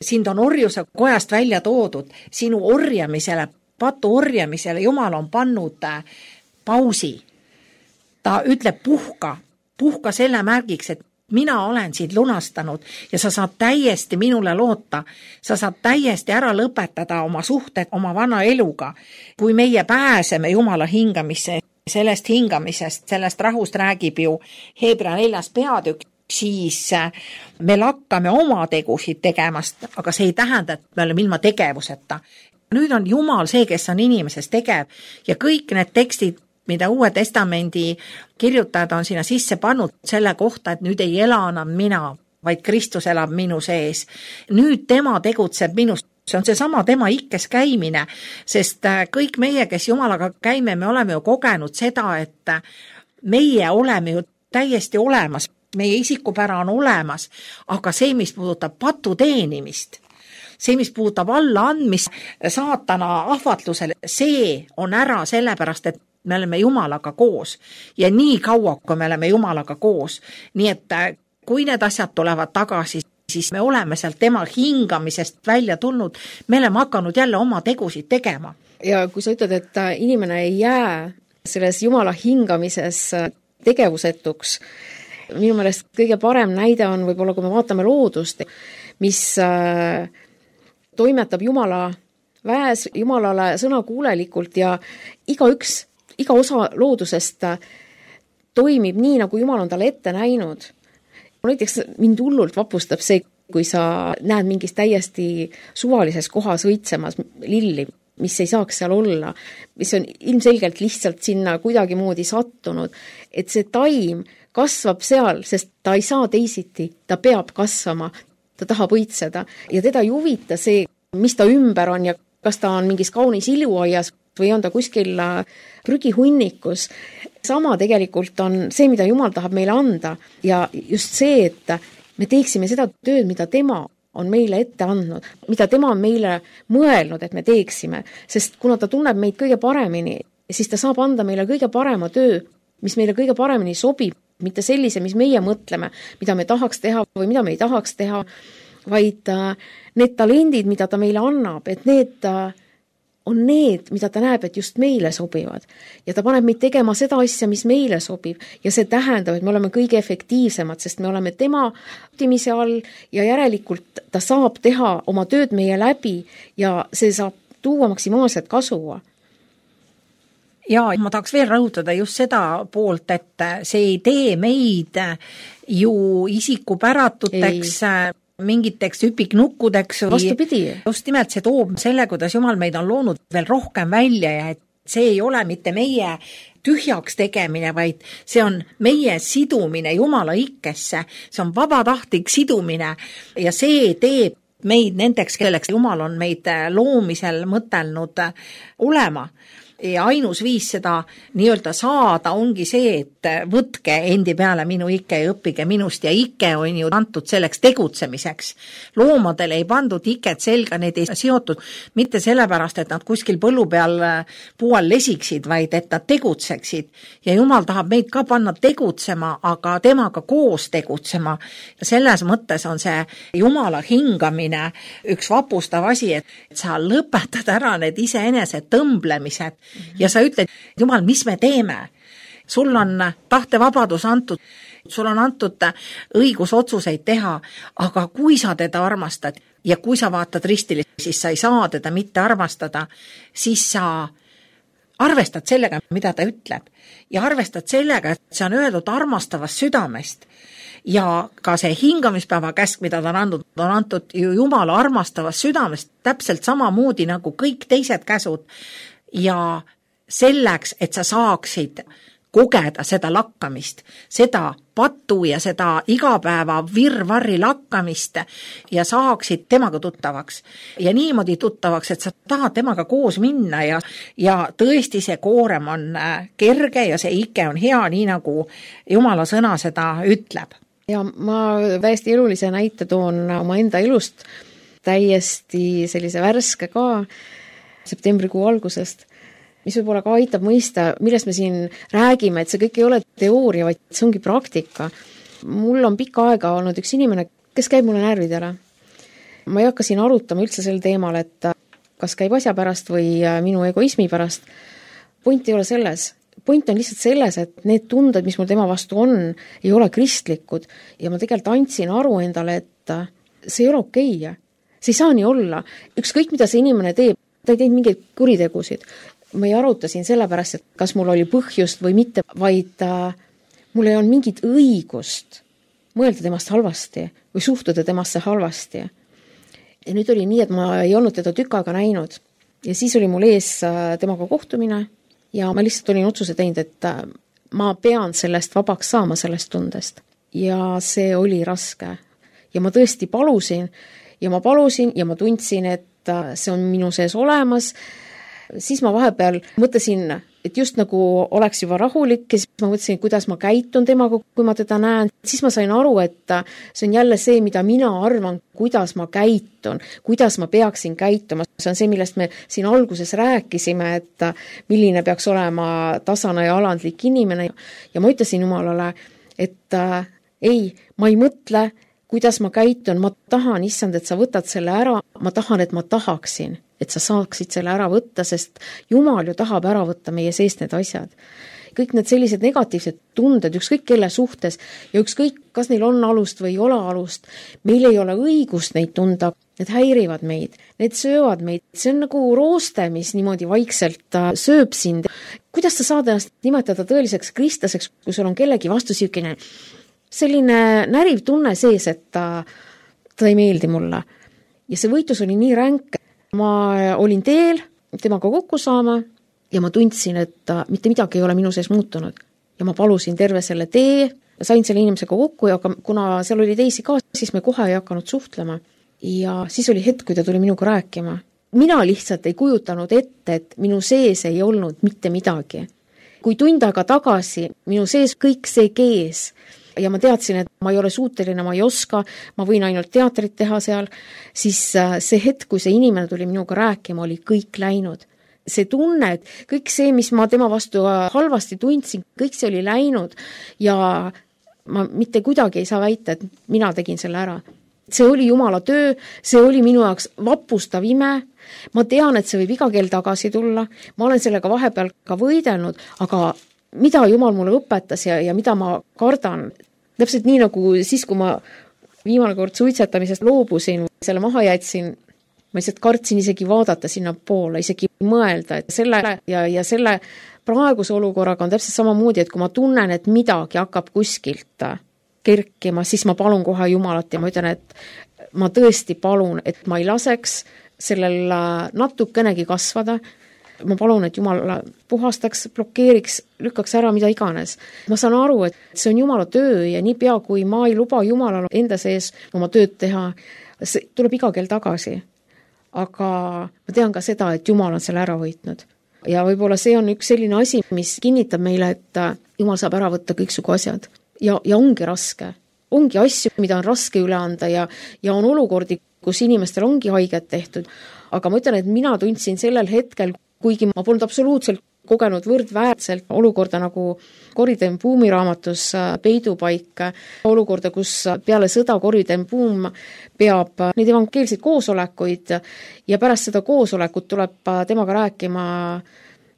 Sind on orjuse kojast välja toodud. Sinu orjamisele, patu orjamisele Jumal on pannud pausi. Ta ütleb puhka. puhka selle märgiks, et mina olen sind lunastanud ja sa saad täiesti minule loota. Sa saad täiesti ära lõpetada oma suhted oma vana eluga. Kui meie pääseme Jumala hingamisse, sellest hingamisest, sellest rahust räägib ju Hebra neljas peatükk, siis me lakkame oma tegusid tegemast, aga see ei tähenda, et me oleme ilma tegevuseta. Nüüd on Jumal see, kes on inimeses tegev ja kõik need tekstid, mida Uue Testamendi kirjutajad on sinna sisse pannud selle kohta, et nüüd ei ela enam mina, vaid Kristus elab minu sees. Nüüd tema tegutseb minust. See on see sama tema ikkes käimine, sest kõik meie, kes Jumalaga käime, me oleme ju kogenud seda, et meie oleme ju täiesti olemas, meie isikupära on olemas, aga see, mis puudutab patu teenimist, see, mis puudutab alla andmist saatana ahvatlusele, see on ära sellepärast, et me oleme Jumalaga koos ja nii kaua, kui me oleme Jumalaga koos. Nii et kui need asjad tulevad tagasi, siis me oleme sealt tema hingamisest välja tulnud, me oleme hakanud jälle oma tegusid tegema. Ja kui sa ütled, et inimene ei jää selles Jumala hingamises tegevusetuks, minu meelest kõige parem näide on võib-olla, kui me vaatame loodust, mis toimetab Jumala väes, Jumalale sõnakuulelikult ja igaüks iga osa loodusest toimib nii, nagu Jumal on talle ette näinud. Näiteks mind hullult vapustab see, kui sa näed mingis täiesti suvalises kohas õitsemas lilli, mis ei saaks seal olla, mis on ilmselgelt lihtsalt sinna kuidagi moodi sattunud, et see taim kasvab seal, sest ta ei saa teisiti, ta peab kasvama, ta tahab õitseda ja teda ei huvita see, mis ta ümber on ja kas ta on mingis kaunis iluaias või on ta kuskil prügihunnikus. Sama tegelikult on see, mida Jumal tahab meile anda ja just see, et me teeksime seda tööd, mida tema on meile ette andnud, mida tema on meile mõelnud, et me teeksime, sest kuna ta tunneb meid kõige paremini, siis ta saab anda meile kõige parema töö, mis meile kõige paremini sobib, mitte sellise, mis meie mõtleme, mida me tahaks teha või mida me ei tahaks teha, vaid need talendid, mida ta meile annab, et need on need, mida ta näeb, et just meile sobivad. Ja ta paneb meid tegema seda asja, mis meile sobib. Ja see tähendab, et me oleme kõige efektiivsemad, sest me oleme tema optimise all ja järelikult ta saab teha oma tööd meie läbi ja see saab tuua maksimaalset kasu. Ja ma tahaks veel rõhutada just seda poolt, et see ei tee meid ju isikupäratuteks ei. Mingiteks hüpiknukkudeks. Vastupidi. Just nimelt see toob selle, kuidas Jumal meid on loonud veel rohkem välja ja et see ei ole mitte meie tühjaks tegemine, vaid see on meie sidumine Jumala ikkesse. See on vabatahtlik sidumine ja see teeb meid nendeks, kelleks Jumal on meid loomisel mõtelnud olema. Ja ainus viis seda nii-öelda saada ongi see, et võtke endi peale minu ikke ja õppige minust ja ikke on ju antud selleks tegutsemiseks. Loomadele ei pandud iket selga, need ei seotud mitte sellepärast, et nad kuskil põllu peal puual lesiksid, vaid et nad tegutseksid. Ja Jumal tahab meid ka panna tegutsema, aga temaga koos tegutsema. Ja selles mõttes on see Jumala hingamine üks vapustav asi, et sa lõpetad ära need iseenese tõmblemised. Ja sa ütled, Jumal, mis me teeme? Sul on tahtevabadus antud, sul on antud õigus otsuseid teha, aga kui sa teda armastad ja kui sa vaatad ristili, siis sa ei saa teda mitte armastada, siis sa arvestad sellega, mida ta ütleb ja arvestad sellega, et see on öeldud armastavast südamest. Ja ka see hingamispäeva käsk, mida ta on andnud, on antud ju Jumala armastavast südamest täpselt samamoodi nagu kõik teised käsud. Ja selleks, et sa saaksid kogeda seda lakkamist, seda patu ja seda igapäeva virvarri lakkamist ja saaksid temaga tuttavaks. Ja niimoodi tuttavaks, et sa tahad temaga koos minna ja, ja tõesti see koorem on kerge ja see ike on hea, nii nagu Jumala sõna seda ütleb. Ja ma täiesti elulise näite toon oma enda elust, täiesti sellise värske ka septembrikuu algusest, mis võib-olla ka aitab mõista, millest me siin räägime, et see kõik ei ole teooria, vaid see ongi praktika. Mul on pikka aega olnud üks inimene, kes käib mulle närvidele. Ma ei hakka siin arutama üldse sel teemal, et kas käib asja pärast või minu egoismi pärast. Point ei ole selles. Point on lihtsalt selles, et need tunded, mis mul tema vastu on, ei ole kristlikud ja ma tegelikult andsin aru endale, et see ei ole okei. See ei saa nii olla. Ükskõik, mida see inimene teeb, ta ei teinud mingeid kuritegusid. Ma ei aruta siin sellepärast, et kas mul oli põhjust või mitte, vaid äh, mul ei olnud mingit õigust mõelda temast halvasti või suhtuda temasse halvasti. Ja nüüd oli nii, et ma ei olnud teda tükk aega näinud. Ja siis oli mul ees äh, temaga kohtumine ja ma lihtsalt olin otsuse teinud, et äh, ma pean sellest vabaks saama sellest tundest. Ja see oli raske. Ja ma tõesti palusin ja ma palusin ja ma tundsin, et äh, see on minu sees olemas. Siis ma vahepeal mõtlesin, et just nagu oleks juba rahulik ja siis ma mõtlesin, kuidas ma käitun temaga, kui ma teda näen. Siis ma sain aru, et see on jälle see, mida mina arvan, kuidas ma käitun, kuidas ma peaksin käituma. See on see, millest me siin alguses rääkisime, et milline peaks olema tasane ja alandlik inimene. Ja ma ütlesin Jumalale, et äh, ei, ma ei mõtle, kuidas ma käitun, ma tahan, issand, et sa võtad selle ära, ma tahan, et ma tahaksin, et sa saaksid selle ära võtta, sest Jumal ju tahab ära võtta meie seest need asjad. Kõik need sellised negatiivsed tunded, ükskõik kelle suhtes ja ükskõik, kas neil on alust või ei ole alust, meil ei ole õigust neid tunda, need häirivad meid, need söövad meid, see on nagu rooste, mis niimoodi vaikselt sööb sind. Kuidas sa saad ennast nimetada tõeliseks kristlaseks, kui sul on kellegi vastu siukene selline näriv tunne sees, et ta, ta ei meeldi mulle. Ja see võitlus oli nii ränk. Ma olin teel temaga kokku saama ja ma tundsin, et mitte midagi ei ole minu sees muutunud. Ja ma palusin terve selle tee, sain selle inimesega kokku ja kuna seal oli teisi ka, siis me kohe ei hakanud suhtlema. Ja siis oli hetk, kui ta tuli minuga rääkima. mina lihtsalt ei kujutanud ette, et minu sees ei olnud mitte midagi. Kui tund aega tagasi minu sees kõik see kees ja ma teadsin, et ma ei ole suuteline, ma ei oska, ma võin ainult teatrit teha seal, siis see hetk, kui see inimene tuli minuga rääkima, oli kõik läinud. See tunne, et kõik see, mis ma tema vastu halvasti tundsin, kõik see oli läinud ja ma mitte kuidagi ei saa väita, et mina tegin selle ära. See oli Jumala töö, see oli minu jaoks vapustav ime. Ma tean, et see võib iga kell tagasi tulla. Ma olen sellega vahepeal ka võidelnud, aga mida Jumal mulle õpetas ja, ja mida ma kardan. Täpselt nii nagu siis, kui ma viimane kord suitsetamisest loobusin, selle maha jätsin, ma lihtsalt kartsin isegi vaadata sinna poole, isegi mõelda, et selle ja, ja selle praeguse olukorraga on täpselt samamoodi, et kui ma tunnen, et midagi hakkab kuskilt kerkima, siis ma palun kohe Jumalat ja ma ütlen, et ma tõesti palun, et ma ei laseks sellel natukenegi kasvada. Ma palun, et Jumal puhastaks, blokeeriks, lükkaks ära mida iganes. Ma saan aru, et see on Jumala töö ja nii pea, kui ma ei luba Jumalal enda sees oma tööd teha, see tuleb iga kell tagasi. Aga ma tean ka seda, et Jumal on selle ära võitnud. Ja võib-olla see on üks selline asi, mis kinnitab meile, et Jumal saab ära võtta kõiksugu asjad. Ja, ja ongi raske. Ongi asju, mida on raske üle anda ja, ja on olukordi, kus inimestel ongi haiget tehtud. Aga ma ütlen, et mina tundsin sellel hetkel, kuigi ma polnud absoluutselt kogenud võrdväärselt olukorda nagu Corrie ten Boom'i raamatus Peidupaik, olukorda, kus peale sõda Corrie ten Boom peab neid evangeelseid koosolekuid ja pärast seda koosolekut tuleb temaga rääkima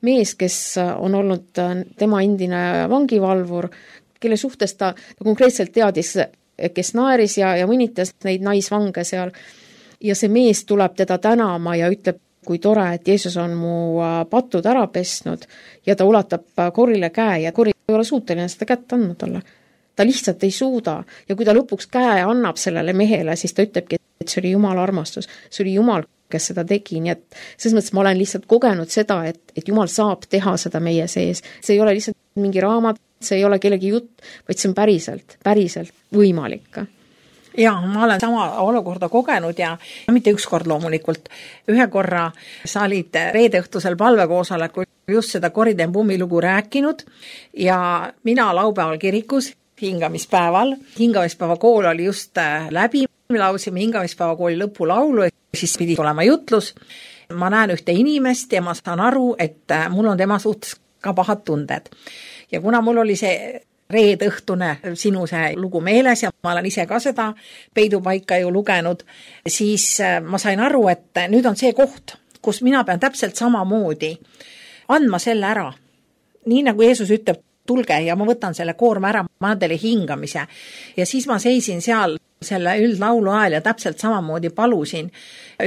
mees, kes on olnud tema endine vangivalvur, kelle suhtes ta konkreetselt teadis, kes naeris ja, ja mõnitas neid naisvange seal. Ja see mees tuleb teda tänama ja ütleb, kui tore, et Jeesus on mu patud ära pesnud ja ta ulatab Corrile käe ja Corri ei ole suuteline seda kätt andnud talle. Ta lihtsalt ei suuda ja kui ta lõpuks käe annab sellele mehele, siis ta ütlebki, et see oli Jumala armastus, see oli Jumal, kes seda tegi, nii et selles mõttes ma olen lihtsalt kogenud seda, et, et Jumal saab teha seda meie sees. See ei ole lihtsalt mingi raamat, see ei ole kellegi jutt, vaid see on päriselt, päriselt võimalik. Ja, ma olen sama olukorda kogenud ja mitte üks kord loomulikult. Ühe korra sa olid reedeõhtusel palvekoosolekul just seda Corrie ten Boomi lugu rääkinud ja mina laupäeval kirikus hingamispäeval. Hingamispäeva kool oli just läbi, me laulsime hingamispäeva kooli lõpulaulu, siis pidi olema jutlus. Ma näen ühte inimest ja ma saan aru, et mul on tema suhtes ka pahad tunded. Ja kuna mul oli see reedõhtune sinu see lugu meeles ja ma olen ise ka seda Peidupaika ju lugenud, siis ma sain aru, et nüüd on see koht, kus mina pean täpselt samamoodi andma selle ära. Nii nagu Jeesus ütleb, tulge ja ma võtan selle koorma ära, ma annan teile hingamise. Ja siis ma seisin seal selle üldlaulu ajal ja täpselt samamoodi palusin,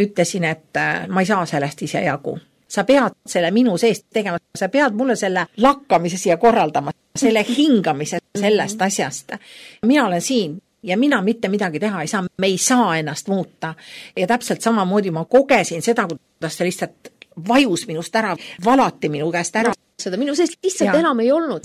ütlesin, et ma ei saa sellest ise jagu. Sa pead selle minu seest tegema, sa pead mulle selle lakkamise siia korraldama, selle hingamise sellest asjast. Mina olen siin ja mina mitte midagi teha ei saa, me ei saa ennast muuta. Ja täpselt samamoodi ma kogesin seda, kuidas see lihtsalt vajus minust ära, valati minu käest ära. Seda minu seest lihtsalt ja enam ei olnud.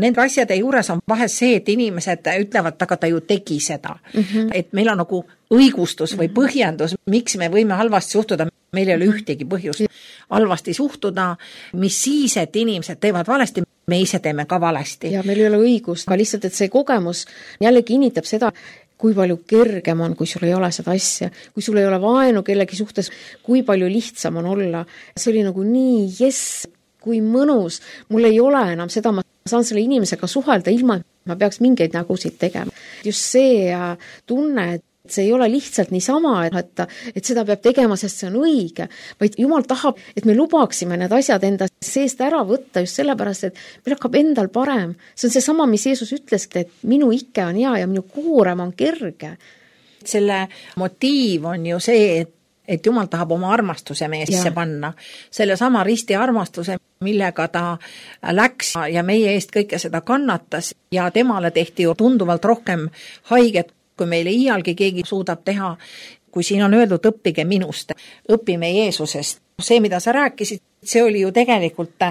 Nende asjade juures on vahest see, et inimesed ütlevad, aga ta ju tegi seda. Mm-hmm. Et meil on nagu õigustus või põhjendus, miks me võime halvasti suhtuda, meil ei ole ühtegi põhjust halvasti suhtuda, mis siis, et inimesed teevad valesti, me ise teeme ka valesti. Ja meil ei ole õigust, aga lihtsalt, et see kogemus jälle kinnitab seda, kui palju kergem on, kui sul ei ole seda asja, kui sul ei ole vaenu kellegi suhtes, kui palju lihtsam on olla. See oli nagu nii, jess, kui mõnus, mul ei ole enam seda, ma saan selle inimesega suhelda ilma, et ma peaks mingeid nägusid tegema. Just see tunne, et see ei ole lihtsalt niisama, et, et seda peab tegema, sest see on õige, vaid Jumal tahab, et me lubaksime need asjad enda seest ära võtta just sellepärast, et meil hakkab endal parem. See on see sama, mis Jeesus ütles, et minu ikke on hea ja minu koorem on kerge. Selle motiiv on ju see, et et Jumal tahab oma armastuse meesse ja panna. Selle sama risti armastuse, millega ta läks ja meie eest kõike seda kannatas ja temale tehti ju tunduvalt rohkem haiget, kui meile iialgi keegi suudab teha. Kui siin on öeldud, õppige minust, õpime Jeesusest. See, mida sa rääkisid, see oli ju tegelikult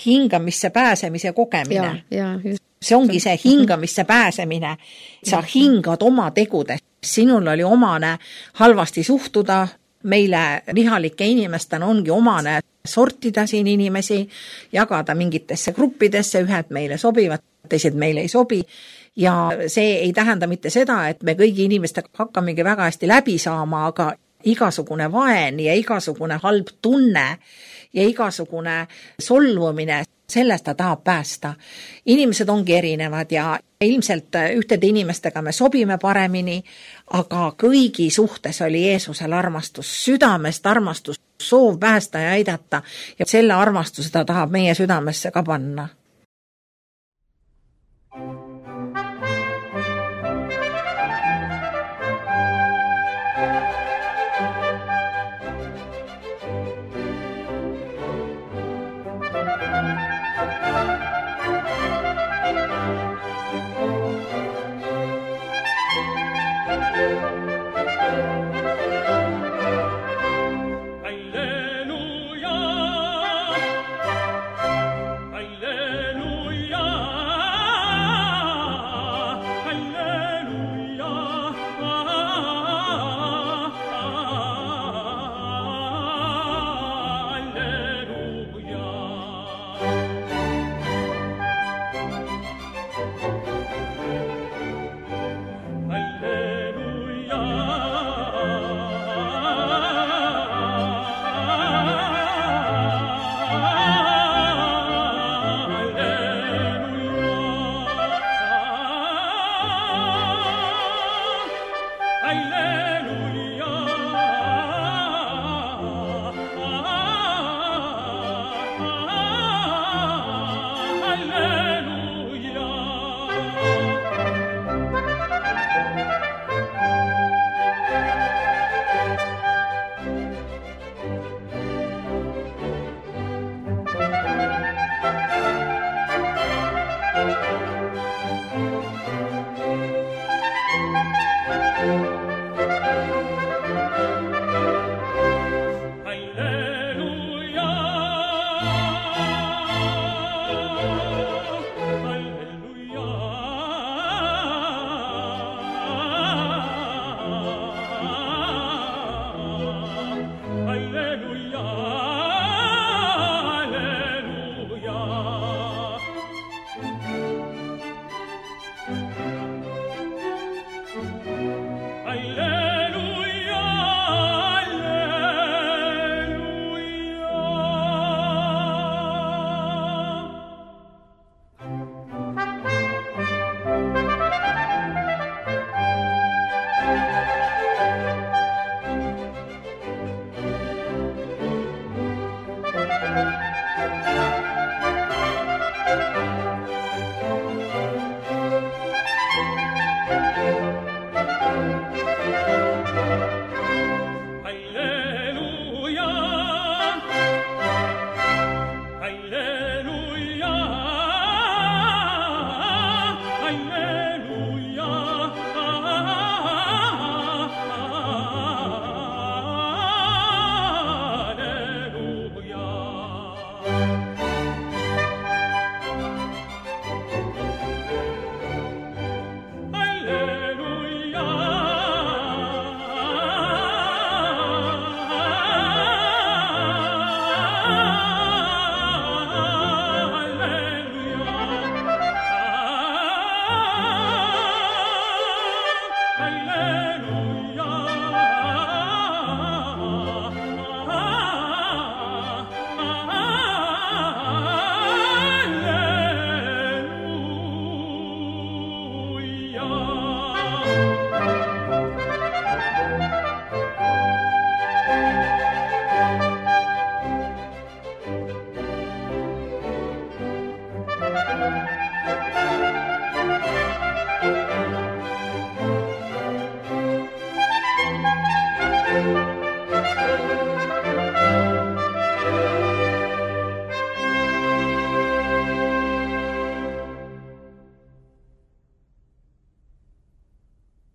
hingamisse pääsemise kogemine. Ja, ja, see ongi see hingamisse pääsemine. Sa hingad oma tegudes. Sinul oli omane halvasti suhtuda, meile lihalike inimestena ongi omane sortida siin inimesi, jagada mingitesse gruppidesse, ühed meile sobivad, teised meile ei sobi. Ja see ei tähenda mitte seda, et me kõigi inimestega hakkamegi väga hästi läbi saama, aga igasugune vaen ja igasugune halb tunne ja igasugune solvumine, sellest ta tahab päästa. Inimesed ongi erinevad ja ilmselt ühtede inimestega me sobime paremini, aga kõigi suhtes oli Jeesusel armastus, südamest armastus, soov päästa ja aidata ja selle armastuse ta tahab meie südamesse ka panna.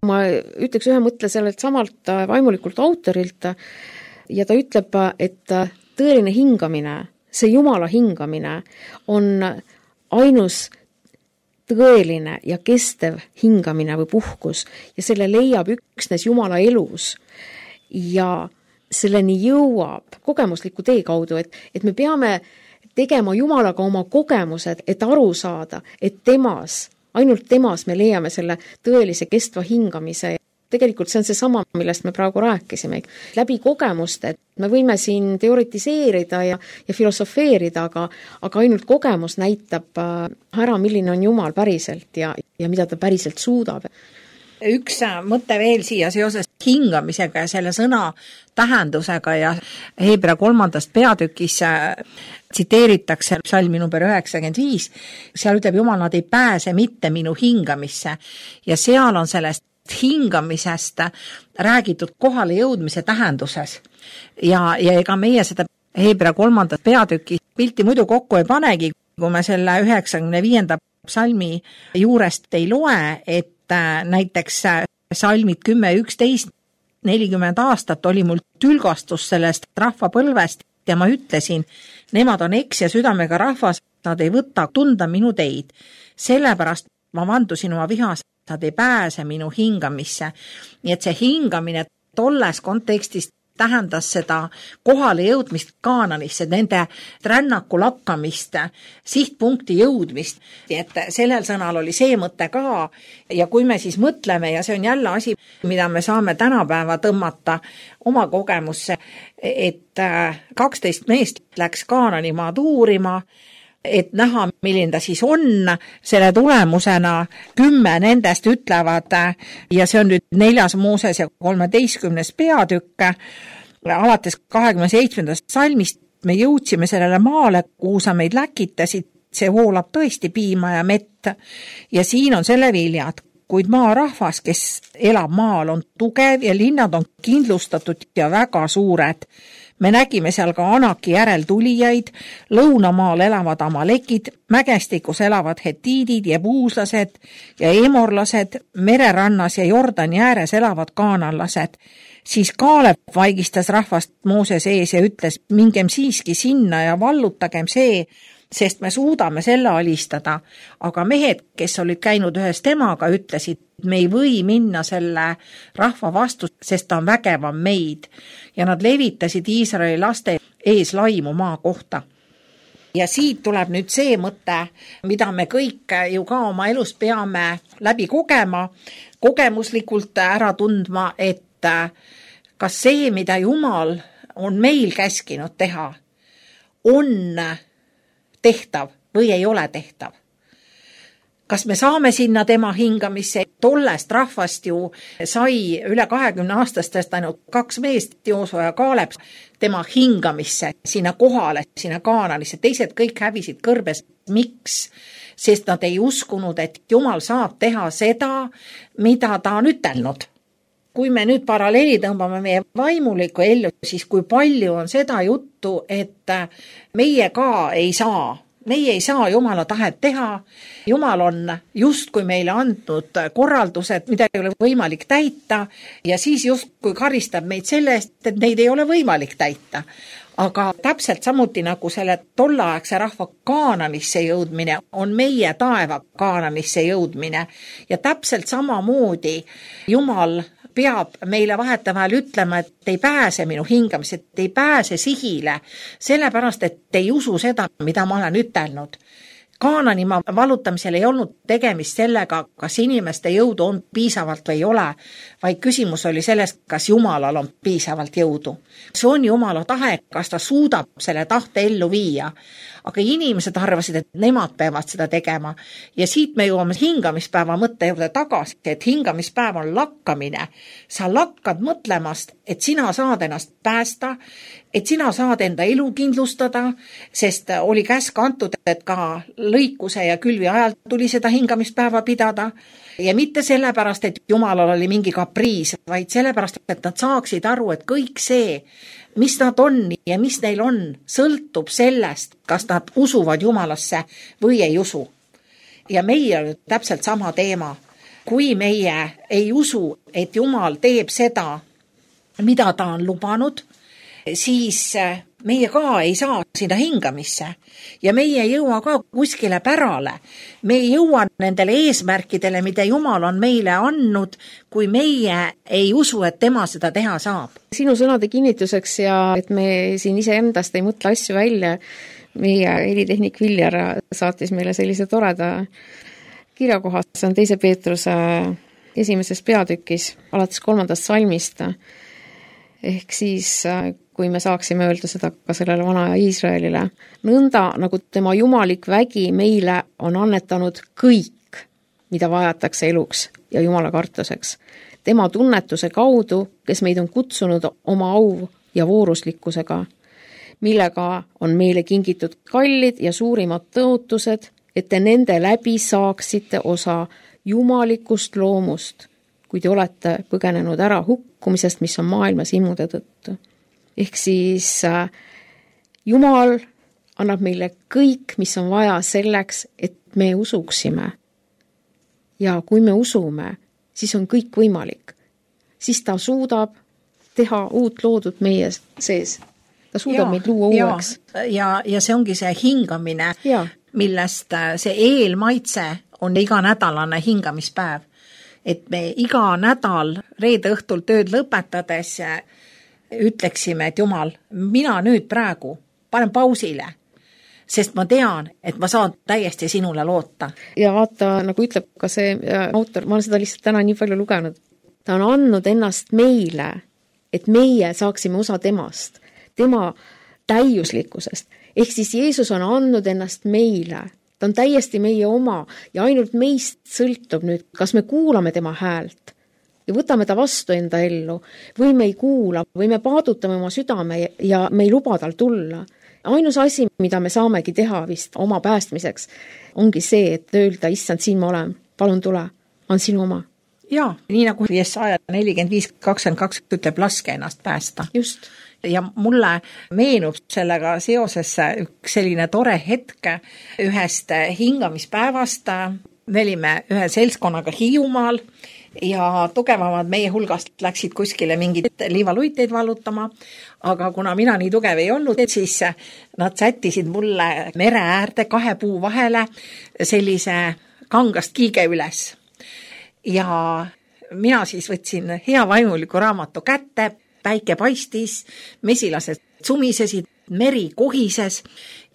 Ma ütleks ühe mõtle sellelt samalt vaimulikult autorilt ja ta ütleb, et tõeline hingamine, see Jumala hingamine on ainus tõeline ja kestev hingamine või puhkus ja selle leiab üksnes Jumala elus. Ja selleni jõuab kogemusliku tee kaudu, et, et me peame tegema Jumalaga oma kogemused, et aru saada, et temas, ainult temas me leiame selle tõelise kestva hingamise. Tegelikult see on see sama, millest me praegu rääkisime. Läbi kogemuste, et me võime siin teoritiseerida ja, ja filosofeerida, aga, aga ainult kogemus näitab ära, milline on Jumal päriselt ja, ja mida ta päriselt suudab. Üks mõte veel siia seoses hingamisega ja selle sõna tähendusega ja Heebrea kolmandast peatükis tsiteeritakse psalmi number üheksakümmend viis, seal ütleb Jumal, nad ei pääse mitte minu hingamisse ja seal on sellest hingamisest räägitud kohale jõudmise tähenduses ja, ja ega meie seda Heebrea kolmandat peatüki pilti muidu kokku ei panegi, kui me selle üheksakümne viienda psalmi juurest ei loe, et näiteks salmid kümme üksteist nelikümmend aastat oli mul tülgastus sellest rahvapõlvest ja ma ütlesin, nemad on eks ja südamega rahvas, nad ei võta tunda minu teid. Sellepärast ma vandusin oma vihas, nad ei pääse minu hingamisse. Nii et see hingamine tolles kontekstis tähendas seda kohale jõudmist Kaananisse, nende rännaku lakkamist, sihtpunkti jõudmist. Et sellel sõnal oli see mõte ka ja kui me siis mõtleme ja see on jälle asi, mida me saame tänapäeva tõmmata oma kogemusse, et kaksteist meest läks Kaananimaad uurima, et näha, milline ta siis on, selle tulemusena kümme nendest ütlevad ja see on nüüd neljas Mooses ja kolmeteistkümnes peatükk, alates kahekümne seitsmendast salmist me jõudsime sellele maale, kuhu sa meid läkitasid, see voolab tõesti piima ja mett ja siin on selle viljad, kuid maarahvas, kes elab maal, on tugev ja linnad on kindlustatud ja väga suured. Me nägime seal ka Anaki järel tulijaid, lõunamaal elavad amalekid, mägestikus elavad hetiidid ja puuslased ja emorlased, mererannas ja Jordani ääres elavad kaananlased. Siis Kaalep vaigistas rahvast Mooses ees ja ütles, mingem siiski sinna ja vallutagem see, sest me suudame selle alistada. Aga mehed, kes olid käinud ühes temaga, ütlesid, me ei või minna selle rahva vastu, sest ta on vägevam meid. Ja nad levitasid Iisraeli laste ees laimu maa kohta. Ja siit tuleb nüüd see mõte, mida me kõik ju ka oma elus peame läbi kogema, kogemuslikult ära tundma, et kas see, mida Jumal on meil käskinud teha, on tehtav või ei ole tehtav. Kas me saame sinna tema hingamisse? Tollest rahvast ju sai üle kahekümne aastastest ainult kaks meest, Joosua ja Kaalep, tema hingamisse, sinna kohale, sinna Kaananisse. Teised kõik hävisid kõrbes. Miks? Sest nad ei uskunud, et Jumal saab teha seda, mida ta on ütelnud. Kui me nüüd paralleeli tõmbame meie vaimulikku ellu, siis kui palju on seda juttu, et meie ka ei saa, meie ei saa Jumala tahet teha. Jumal on just kui meile andnud korraldused, mida ei ole võimalik täita ja siis just kui karistab meid selle eest, et neid ei ole võimalik täita. Aga täpselt samuti nagu selle tollaaegse rahva Kaananisse jõudmine on meie taeva Kaananisse jõudmine ja täpselt samamoodi Jumal peab meile vahetavahel ütlema, et ei pääse minu hingamise, et ei pääse sihile, sellepärast, et ei usu seda, mida ma olen ütelnud. Kaananimaa vallutamisel ei olnud tegemist sellega, kas inimeste jõudu on piisavalt või ei ole, vaid küsimus oli selles, kas Jumalal on piisavalt jõudu. See on Jumala tahe, kas ta suudab selle tahte ellu viia. Aga inimesed arvasid, et nemad peavad seda tegema. Ja siit me jõuame hingamispäeva mõtte juurde tagasi, et hingamispäev on lakkamine. Sa lakkad mõtlemast, et sina saad ennast päästa, et sina saad enda elu kindlustada, sest oli käsk antud, et ka lõikuse ja külvi ajal tuli seda hingamispäeva pidada. Ja mitte sellepärast, et Jumalal oli mingi kapriis, vaid sellepärast, et nad saaksid aru, et kõik see, mis nad on ja mis neil on, sõltub sellest, kas nad usuvad Jumalasse või ei usu. Ja meie on täpselt sama teema. Kui meie ei usu, et Jumal teeb seda, mida ta on lubanud, siis meie ka ei saa sinna hingamisse ja meie ei jõua ka kuskile pärale. Me ei jõua nendele eesmärkidele, mida Jumal on meile andnud, kui meie ei usu, et tema seda teha saab. Sinu sõnade kinnituseks ja et me siin iseendast ei mõtle asju välja, meie helitehnik Viljar saatis meile sellise toreda kirjakohas, see on teise Peetruse esimeses peatükis, alates kolmandast salmist, ehk siis kui me saaksime öelda seda ka sellele vana Iisraelile, nõnda nagu tema jumalik vägi meile on annetanud kõik, mida vajatakse eluks ja Jumala kartuseks. Tema tunnetuse kaudu, kes meid on kutsunud oma au ja vooruslikkusega, millega on meile kingitud kallid ja suurimad tõotused, et te nende läbi saaksite osa jumalikust loomust, kui te olete põgenenud ära hukkumisest, mis on maailmas imude tõttu. Ehk siis äh, Jumal annab meile kõik, mis on vaja selleks, et me usuksime. Ja kui me usume, siis on kõik võimalik. Siis ta suudab teha uut loodut meie sees. Ta suudab ja, meid luua uueks. Ja, ja see ongi see hingamine, ja. Millest see eelmaitse on iganädalane hingamispäev. Et me iga nädal reede õhtul tööd lõpetades ütleksime, et Jumal, mina nüüd praegu panen pausile, sest ma tean, et ma saan täiesti sinule loota. Ja vaata, nagu ütleb ka see autor, ma olen seda lihtsalt täna nii palju lugenud, ta on andnud ennast meile, et meie saaksime osa temast, tema täiuslikkusest. Ehk siis Jeesus on andnud ennast meile, ta on täiesti meie oma ja ainult meist sõltub nüüd, kas me kuulame tema häält ja võtame ta vastu enda ellu või me ei kuula või me paadutame oma südame ja me ei luba tal tulla. Ainus asi, mida me saamegi teha vist oma päästmiseks, ongi see, et öelda, issand, siin ma olen, palun tule, on sinu oma. Jaa, nii nagu Jesaja nelikümmend viis kakskümmend kaks ütleb, laske ennast päästa. Just. Ja mulle meenub sellega seoses üks selline tore hetk ühest hingamispäevast. Me olime ühe seltskonnaga Hiiumaal ja tugevamad meie hulgast läksid kuskile mingid liivaluiteid vallutama, aga kuna mina nii tugev ei olnud, siis nad sättisid mulle mere äärde kahe puu vahele sellise kangast kiige üles. Ja mina siis võtsin hea vaimuliku raamatu kätte, päike paistis, mesilased sumisesid, meri kohises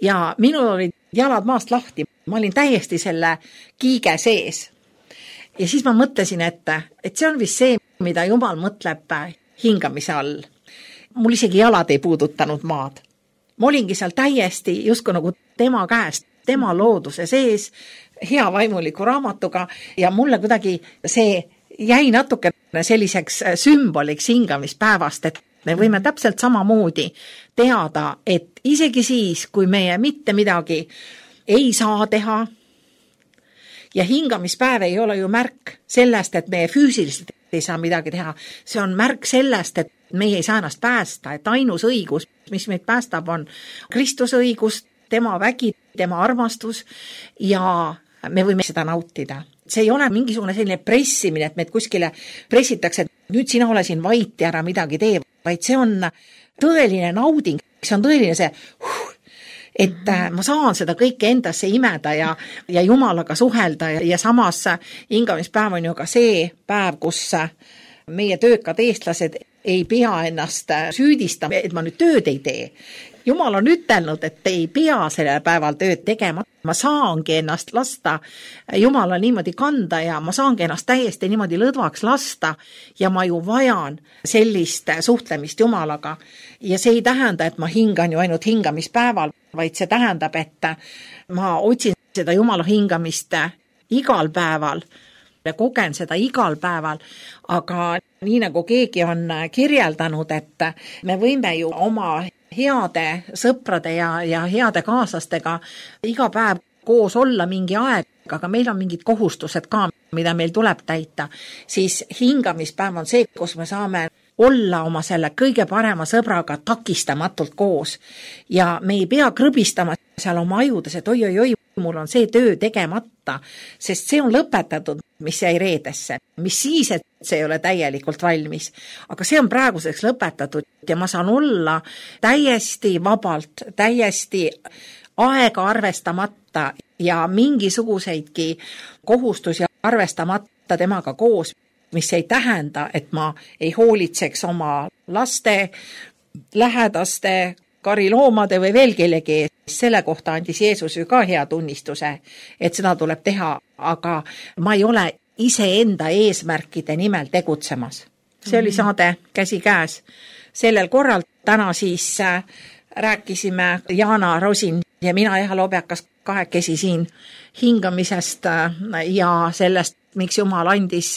ja minul olid jalad maast lahti. Ma olin täiesti selle kiige sees. Ja siis ma mõtlesin, et, et see on vist see, mida Jumal mõtleb hingamise all. Mul isegi jalad ei puudutanud maad. Ma olingi seal täiesti justkui nagu tema käest, tema looduse sees, hea vaimuliku raamatuga ja mulle kuidagi see jäi natuke selliseks sümboliks hingamispäevast, et me võime täpselt samamoodi teada, et isegi siis, kui meie mitte midagi ei saa teha ja hingamispäev ei ole ju märk sellest, et meie füüsiliselt ei saa midagi teha. See on märk sellest, et meie ei saa ennast päästa, et ainus õigus, mis meid päästab, on Kristuse õigus, tema vägi, tema armastus ja me võime seda nautida. See ei ole mingisugune selline pressimine, et meid kuskile pressitakse, et nüüd sina ole siin vait ja ära midagi tee, vaid see on tõeline nauding, see on tõeline see, et ma saan seda kõike endasse imeda ja, ja Jumalaga suhelda ja, ja samas hingamispäev on ju ka see päev, kus meie töökad eestlased ei pea ennast süüdistama, et ma nüüd tööd ei tee. Jumal on ütelnud, et ei pea sellel päeval tööd tegema. Ma saangi ennast lasta Jumala niimoodi kanda ja ma saangi ennast täiesti niimoodi lõdvaks lasta ja ma ju vajan sellist suhtlemist Jumalaga. Ja see ei tähenda, et ma hingan ju ainult hingamispäeval, vaid see tähendab, et ma otsin seda Jumala hingamist igal päeval ja kogen seda igal päeval, aga nii nagu keegi on kirjeldanud, et me võime ju oma heade sõprade ja, ja heade kaaslastega iga päev koos olla mingi aeg, aga meil on mingid kohustused ka, mida meil tuleb täita, siis hingamispäev on see, kus me saame olla oma selle kõige parema sõbraga takistamatult koos ja me ei pea krõbistama seal oma ajudes, et oi, oi, oi, mul on see töö tegemata, sest see on lõpetatud. mis jäi reedesse, mis siis, et see ei ole täielikult valmis. Aga see on praeguseks lõpetatud ja ma saan olla täiesti vabalt, täiesti aega arvestamata ja mingisuguseidki kohustusi arvestamata temaga koos, mis ei tähenda, et ma ei hoolitseks oma laste, lähedaste, kariloomade või veel kellegi ees. Selle kohta andis Jeesus ju ka hea tunnistuse, et seda tuleb teha, aga ma ei ole iseenda eesmärkide nimel tegutsemas. See oli saade Käsikäes. Sellel korral täna siis rääkisime Jaana Rosin ja mina Eha Lobjakas kahekesi siin hingamisest ja sellest, miks Jumal andis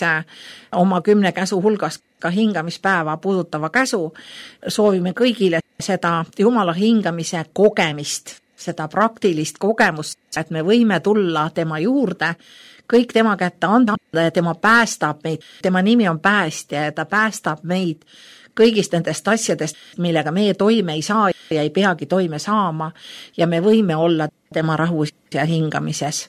oma kümne käsu hulgas ka hingamispäeva puudutava käsu. Soovime kõigile seda Jumala hingamise kogemist, seda praktilist kogemust, et me võime tulla tema juurde, kõik tema kätte anda ja tema päästab meid. Tema nimi on päästja ja ta päästab meid kõigist nendest asjadest, millega meie toime ei saa ja ei peagi toime saama ja me võime olla tema rahus ja hingamises.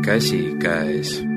Käsikäes.